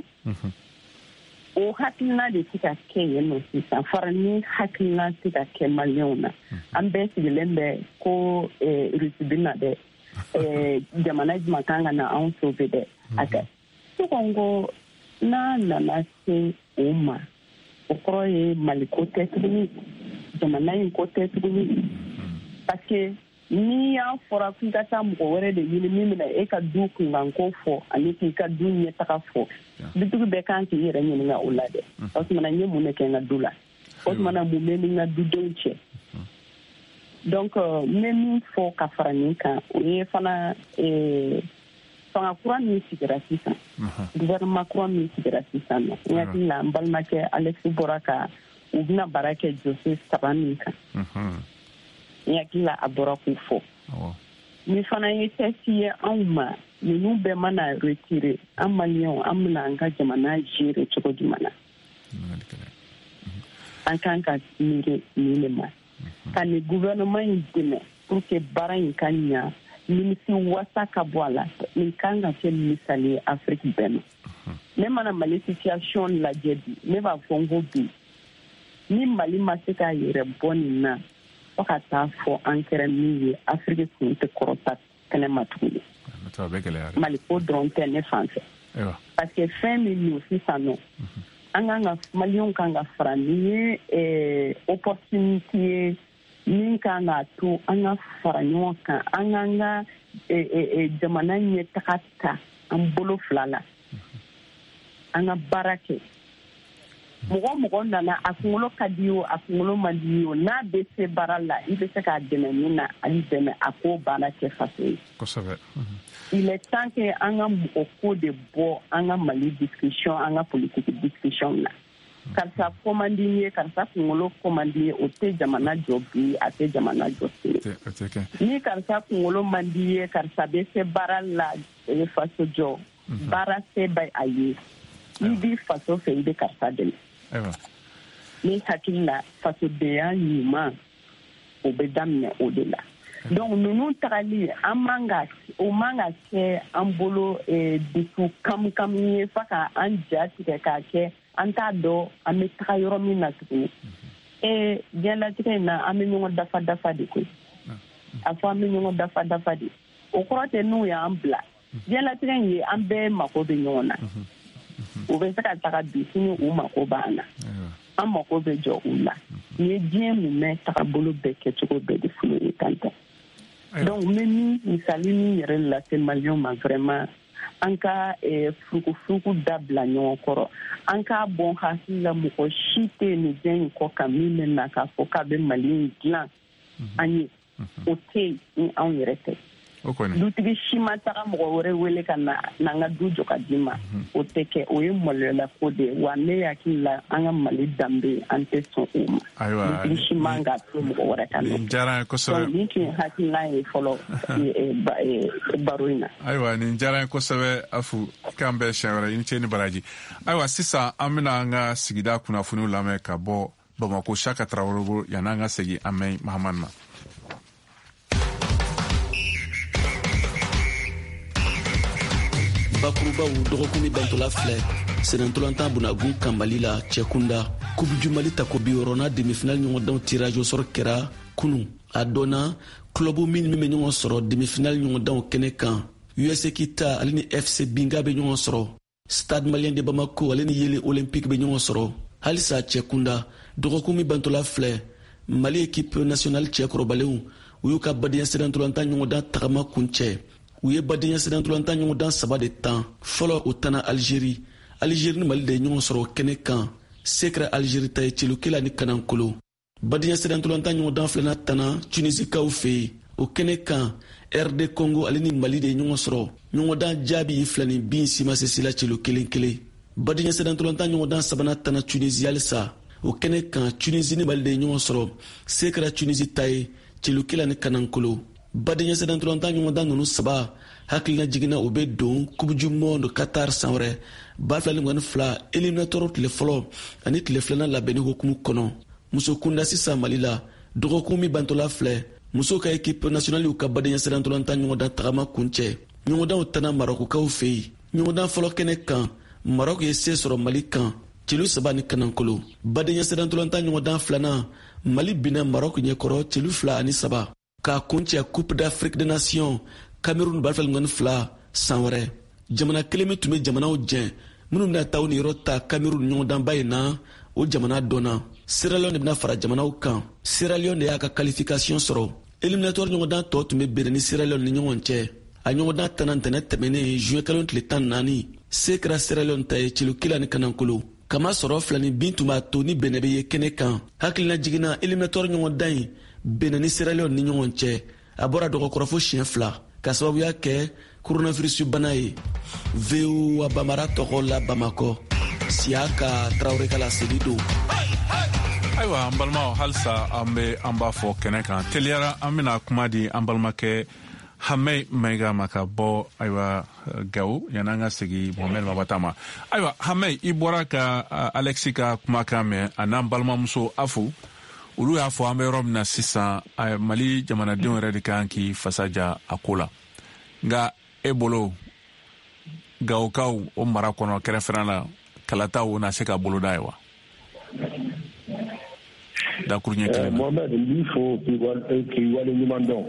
O hakilina de tɛ ka kɛ yen nɔ sisan. Farani hakilina tɛ ka kɛ maliyɛnw na. An bɛɛ sigilen bɛ ko Rusi bɛ na dɛ, jamana jumɛn kan ka na anw sauver dɛ. A kɛ ne ko n ko n'a nana se o ma, o kɔrɔ ye Mali ko tɛ tuguni, jamana in ko tɛ tuguni. Parce que n'i y'a fɔra k'i ka taa mɔgɔ wɛrɛ de ɲini min bɛna e ka du kunkanko fɔ ani k'i ka du ɲɛtaga fɔ, dutigi bɛɛ kan k'i yɛrɛ ɲininka o la dɛ. O tuma na, n ye mun de kɛ n ka du la? O tuma na, mun bɛ ni n ka dudenw cɛ? Donc n bɛ min fɔ ka fara nin kan, o ye fana fanga kura min sigira sisan, gouvernement kura min sigira sisan nɔ, n hakili la n balimakɛ Alex bɔra ka u bɛna baara kɛ dossier saba min kan, n hakili la a bɔra k'u fɔ. Ni fana ye test ye anw ma, ninnu bɛɛ mana retirer, an maliyɛnw, an bɛna an ka jamana gérer cogo jumɛn na? An kan ka miiri nin de ma, ka nin gouvernement in dɛmɛ pour que baara in ka ɲa, nimisi wasa ka bɔ a la. Nin kan ka kɛ misali ye Afrique bɛɛ ma. Ne mana Mali situation lajɛ bi, ne b'a fɔ n ko bi, ni Mali ma se k'a yɛrɛ bɔ nin na, fo ka taa fɔ an kɛra min ye, Afrique kun tɛ kɔrɔta kɛnɛ ma tuguni. Mali ko dɔrɔn tɛ ne fan fɛ. Parce que fɛn min don sisan nɔ, an kan ka maliyɛnw kan ka fara, nin ye opportunité ye min kan k'a to an ka fara ɲɔgɔn kan, an k'an ka jamana ɲɛtaga ta an bolo fila la, an ka baara kɛ. Mɔgɔ mɔgɔ nana, a kunkolo ka di o, a kunkolo man di o, n'a bɛ se baara la, i bɛ se k'a dɛmɛ min na, a y'i dɛmɛ, a k'o baara kɛ faso ye. Kosɛbɛ. Il est temps que an ka mɔgɔ ko de bɔ an ka Mali discussion, an ka politique discussion na. Karisa ko man di n ye, karisa kunkolo ko man di n ye, o tɛ jamana jɔ bi, a tɛ jamana jɔ sini. Ni karisa kunkolo man di ye, karisa bɛ se baara la, faso jɔ, baara se bɛ a ye. N'i b'i faso fɛ, i bɛ karisa dɛmɛ. Ni hakili la, fasodenya ɲuman, o bɛ daminɛ o de la. Donc ninnu tagali, an man ka, o man ka kɛ an bolo dusu kamukami ye fo ka an ja tigɛ k'a kɛ an t'a dɔn an bɛ taga yɔrɔ min na tuguni. Ee, diɲɛlatigɛ in na, an bɛ ɲɔgɔn dafa dafa de koyi. A fɔ an bɛ ɲɔgɔn dafa dafa de. O kɔrɔ tɛ n'u y'an bila. Diɲɛlatigɛ in ye, an bɛɛ mako bɛ ɲɔgɔn na. U bɛ se ka taga bi, sini u mako b'an na. An mako bɛ jɔ u la. Nin ye diɲɛ mumɛ tagabolo bɛɛ kɛcogo bɛɛ de f'u ye tan tɛ. Donc n bɛ min misali min yɛrɛ lase maliyɛnw ma vraiment, an ka furukufuruku dabila ɲɔgɔn kɔrɔ, an k'a bɔn hakili la, mɔgɔ si tɛ nin diɲɛ in kɔ kan min bɛ na k'a fɔ k'a bɛ Mali in dilan an ye, o tɛ yen ni anw yɛrɛ tɛ. Dutigi si ma taga mɔgɔ wɛrɛ wele ka na n'an ka du jɔ ka di ma, o tɛ kɛ, o ye maloyala ko de ye. Wa ne hakili la an ka Mali danbe an tɛ sɔn o ma. Dutigi si man ka to mɔgɔ wɛrɛ ka nɔ. Nin diyara n ye kosɛbɛ. Nin tun ye hakilina ye fɔlɔ baro in na. Ayiwa, nin diyara n ye kosɛbɛ Afu, k'an bɛn siɲɛ wɛrɛ, i ni ce ni baraji. Ayiwa, sisan an bɛna an ka sigida kunnafoniw lamɛn ka bɔ Bamakɔ Saka Tarawele bolo, yan'an ka segin an mɛn Mahamani ma. Bakurubaw dɔgɔkun min bantola filɛ sennantolatan bunagun kan Mali la cɛkunda Coupe du Mali tako bi wɔɔrɔnan demi-finale ɲɔgɔndanw tirage au sort kɛra kunu. A dɔnna club min min bɛ ɲɔgɔn sɔrɔ demi-finale ɲɔgɔndanw kɛnɛ kan. U S Kita ale ni F C Binga bɛ ɲɔgɔn sɔrɔ, Stade Malien de Bamako ale ni Yele Olympique bɛ ɲɔgɔn sɔrɔ. Halisa cɛkunda dɔgɔkun min bantola filɛ Mali équipe nationale cɛkɔrɔbalenw u y'u ka badenya sennantolatan ɲɔgɔndan tagama kuncɛ. U ye badenya sennantolatan ɲɔgɔndan saba de tan. Fɔlɔ o tanna Algérie. Algérie ni Mali de ye ɲɔgɔn sɔrɔ kɛnɛ kan. Se kɛra Algérie ta ye celukela ni kanankolo. Badenya sennantolatan ɲɔgɔndan filanan tanna Tunisikaw fɛ yen. O kɛnɛ kan R D Congo ale ni Mali de ye ɲɔgɔn sɔrɔ. Ɲɔgɔndan jaabi ye fila ni bin si ma se si la celu kelen kelen. Badenya sennantolatan ɲɔgɔndan sabanan tanna Tunisie halisa. O kɛnɛ kan Tunisie ni Mali de ye ɲɔgɔn sɔrɔ. Se kɛra Tunisie ta ye celukela ni kanankolo. Badenya sennantolatan ɲɔgɔndan ninnu saba hakilina jiginna o bɛ don Coupe du Monde Qatar san wɛrɛ ba fila ni mugan ni fila éliminatoire tile fɔlɔ ani tile filanan labɛnni hukumu kɔnɔ. Muso kunda sisan Mali la dɔgɔkun min bantola filɛ musow ka équipe nationale y'u ka badenya sennantolatan ɲɔgɔndan tagama kuncɛ. Ɲɔgɔndanw tanna Marokukaw fɛ yen. Ɲɔgɔndan fɔlɔ kɛnɛ kan Maroc ye se sɔrɔ Mali kan celu saba ni kanankolo. Badenya sennantolatan ɲɔgɔndan filanan Mali binna Maroc ɲɛkɔrɔ celu fila ani saba. K'a kuncɛ Coupe d'Afrique des Nations Cameroun ba fila ni mugan ni fila san wɛrɛ. Jamana kelen min tun bɛ jamanaw jɛn minnu bɛna taa u niyɔrɔ ta Cameroun ɲɔgɔndanba in na, o jamana dɔnna. Sierra Leone de bɛna fara jamanaw kan. Sierra Leone de y'a ka qualification sɔrɔ. Éliminatoire ɲɔgɔndan tɔ tun bɛ Benin ni Sierra Leone ni ɲɔgɔn cɛ. A ɲɔgɔndan tanna ntɛnɛn tɛmɛnen juin kalo tile tan ni naani. Se kɛra Sierra Leone ta ye celu kelen ni kanankolo. Kamasɔrɔ fila ni bin tun b'a to ni Benin bɛ ye kɛnɛ kan. Hakilina jiginna éliminatoire ɲɔgɔndan in Benin ni Sierra Leone ni ɲɔgɔn cɛ. A bɔra dɔgɔkɔrɔ fo siɲɛ fila ka sababuya kɛ coronavirus bana ye. V O A Bamara tɔgɔ la Bamakɔ, Siyaka Tarawele ka laseli don. Ayiwa an balimaw, halisa an bɛ an b'a fɔ kɛnɛ kan teliyara, an bɛna kuma di an balimakɛ Hamɛ Mayiga ma ka bɔ ayiwa Gawo, yan'an ka segin Mohamɛd Mabata ma. Ayiwa Hamɛ, i bɔra ka Alexis ka kumakan mɛn, a n'an balimamuso Afu, olu y'a fɔ an bɛ yɔrɔ min na sisan, Mali jamanadenw yɛrɛ de kan k'i fasa ja a ko la. Nka e bolo Gawokaw o mara kɔnɔ kɛrɛfɛla la, kalataw na se ka boloda ye wa? Dakuruɲɛ kelen. Mohamed, n b'i fo k'i waleɲuman dɔn.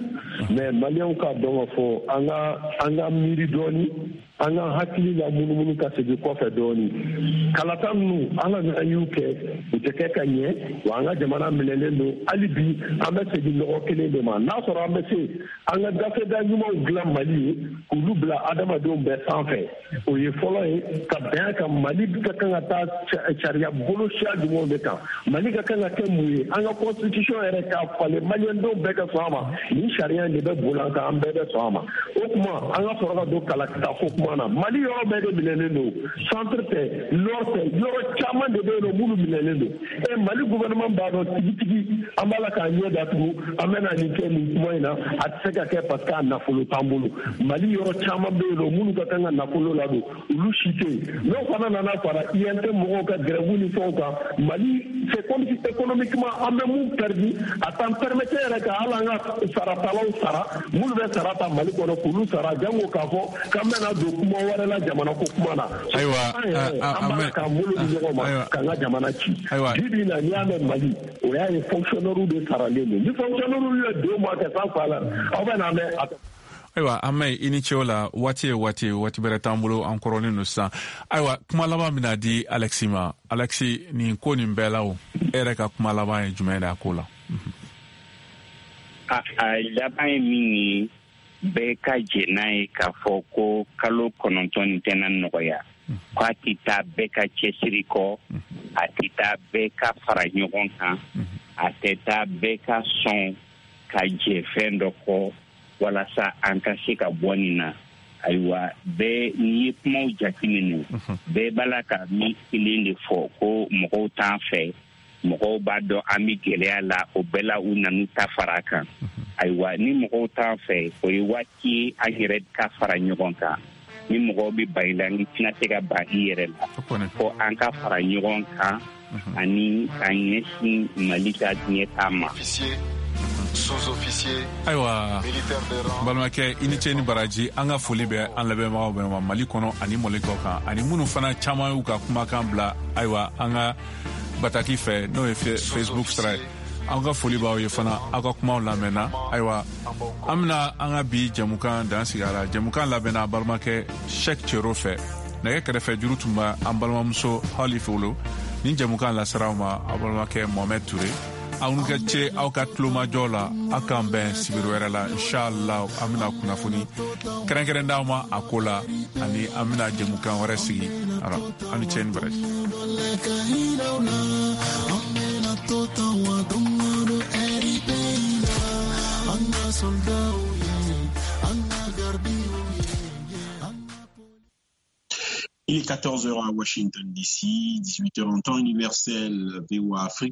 Mais maliyɛnw k'a dɔn k'a fɔ an ka an ka miiri dɔɔni, an ka hakili la munumunu ka segin kɔfɛ dɔɔni. Kalata ninnu an ka an y'u kɛ, u tɛ kɛ ka ɲɛ, wa an ka jamana minɛlen don. Hali bi an bɛ segin nɔgɔ kelen de ma. N'a sɔrɔ an bɛ se an ka gafeda ɲumanw dilan Mali ye k'olu bila adamadenw bɛɛ sanfɛ, o ye fɔlɔ ye ka bɛn a kan. Mali ka kan ka taa sariya bolo siya jumɛnw de kan, Mali ka kan ka kɛ mun ye, an ka constitution yɛrɛ k'a falen, maliyɛndenw bɛɛ ka sɔn a ma. Nin sariya in de bɛ boli an kan, an bɛɛ bɛ sɔn a ma. O tuma an ka sɔrɔ ka don kalata ko kuma na. Mali yɔrɔ bɛɛ de minɛlen don, centre tɛ, nord tɛ, yɔrɔ caman de bɛ yen nɔ minnu minɛlen don. E Mali gouvernement b'a dɔn tigitigi, an b'a la k'a ɲɛ datugu, an bɛ na nin kɛ nin kuma in na, a tɛ se ka kɛ parce que a nafolo t'an bolo. Mali yɔrɔ caman bɛ yen nɔ minnu ka kan ka nafolo ladon, olu si tɛ yen. N'o fana nana fara I N T mɔgɔw ka grève ni fɛnw kan, Mali c'est comme si économiquement an bɛ mun perdu, a t'an permettre yɛrɛ ka hali an ka saratalaw sara, minnu bɛ sara ta Mali kɔnɔ k'olu sara, jango k'a fɔ k'an bɛna don kuma wɛrɛ la jamana ko kuma na. Ayiwa, an b'a k'an bolo di ɲɔgɔn ma k'an ka jamana ci. Bi bi in na n'i y'a mɛn Mali, o y'a ye fonctionnaire de saralen don. Ni fonctionnaire ye deux mois kɛ sans salaire, aw bɛ n'a mɛn. Ayiwa an mɛn i ni ce o la, waati ye waati ye, waati bɛrɛ t'an bolo, an kɔrɔlen don sisan. Ayiwa kuma laban bɛna di Alexis ma. Alexis, nin ko nin bɛɛ la o, e yɛrɛ ka kuma laban ye jumɛn ye a ko la? A a laban ye min ye, bɛɛ ka jɛn n'a ye k'a fɔ ko kalo kɔnɔntɔn nin tɛna nɔgɔya, ko a tɛ taa bɛɛ ka cɛsiri kɔ, a tɛ taa bɛɛ ka fara ɲɔgɔn kan, a tɛ taa bɛɛ ka sɔn ka jɛ fɛn dɔ kɔ walasa an ka se ka bɔ nin na. Ayiwa, bɛɛ n'i ye kumaw jateminɛ, bɛɛ b'a la ka min kelen de fɔ, ko mɔgɔw t'an fɛ, mɔgɔw b'a dɔn an bɛ gɛlɛya la, o bɛɛ la u nan'u ta fara a kan. Ayiwa, ni mɔgɔw t'an fɛ, o ye waati ye an yɛrɛ ka fara ɲɔgɔn kan. Ni mɔgɔw bɛ ban i la, n'i tɛna se ka ban i yɛrɛ la, fo an ka fara ɲɔgɔn kan ani ka ɲɛsin Mali ka ɲɛtaa ma. Ayiwa, balimakɛ, i ni ce ni baraji. An ka foli bɛ an lamɛnbagaw bɛɛ ma Mali kɔnɔ ani Mali kɔ kan, ani minnu fana caman y'u ka kumakan bila, ayiwa, an ka bataki fɛ, n'o ye Facebook sira ye. An ka foli b'aw ye fana, aw ka kumaw lamɛnna. Ayiwa, an bɛna an ka bi jɛmukan dan sigi a la. Jɛmukan labɛnna balimakɛ Cheick Thiero fɛ, nɛgɛ kɛrɛfɛ juru tun bɛ an balimamuso Hali Folo. Nin jɛmukan lasera aw ma aw balimakɛ Mohamed Touré. Aw ni ka ce aw ka tulomajɔ la. Aw k'an bɛn sibiri wɛrɛ la, inshallah. An bɛna kunnafoni kɛrɛnkɛrɛn d'aw ma a ko la, ani an bɛna jɛmukan wɛrɛ sigi. Aw ni ce ni baraji. Il est quatorze heures à Washington D C, dix-huit heures en temps universel. V O A Afrique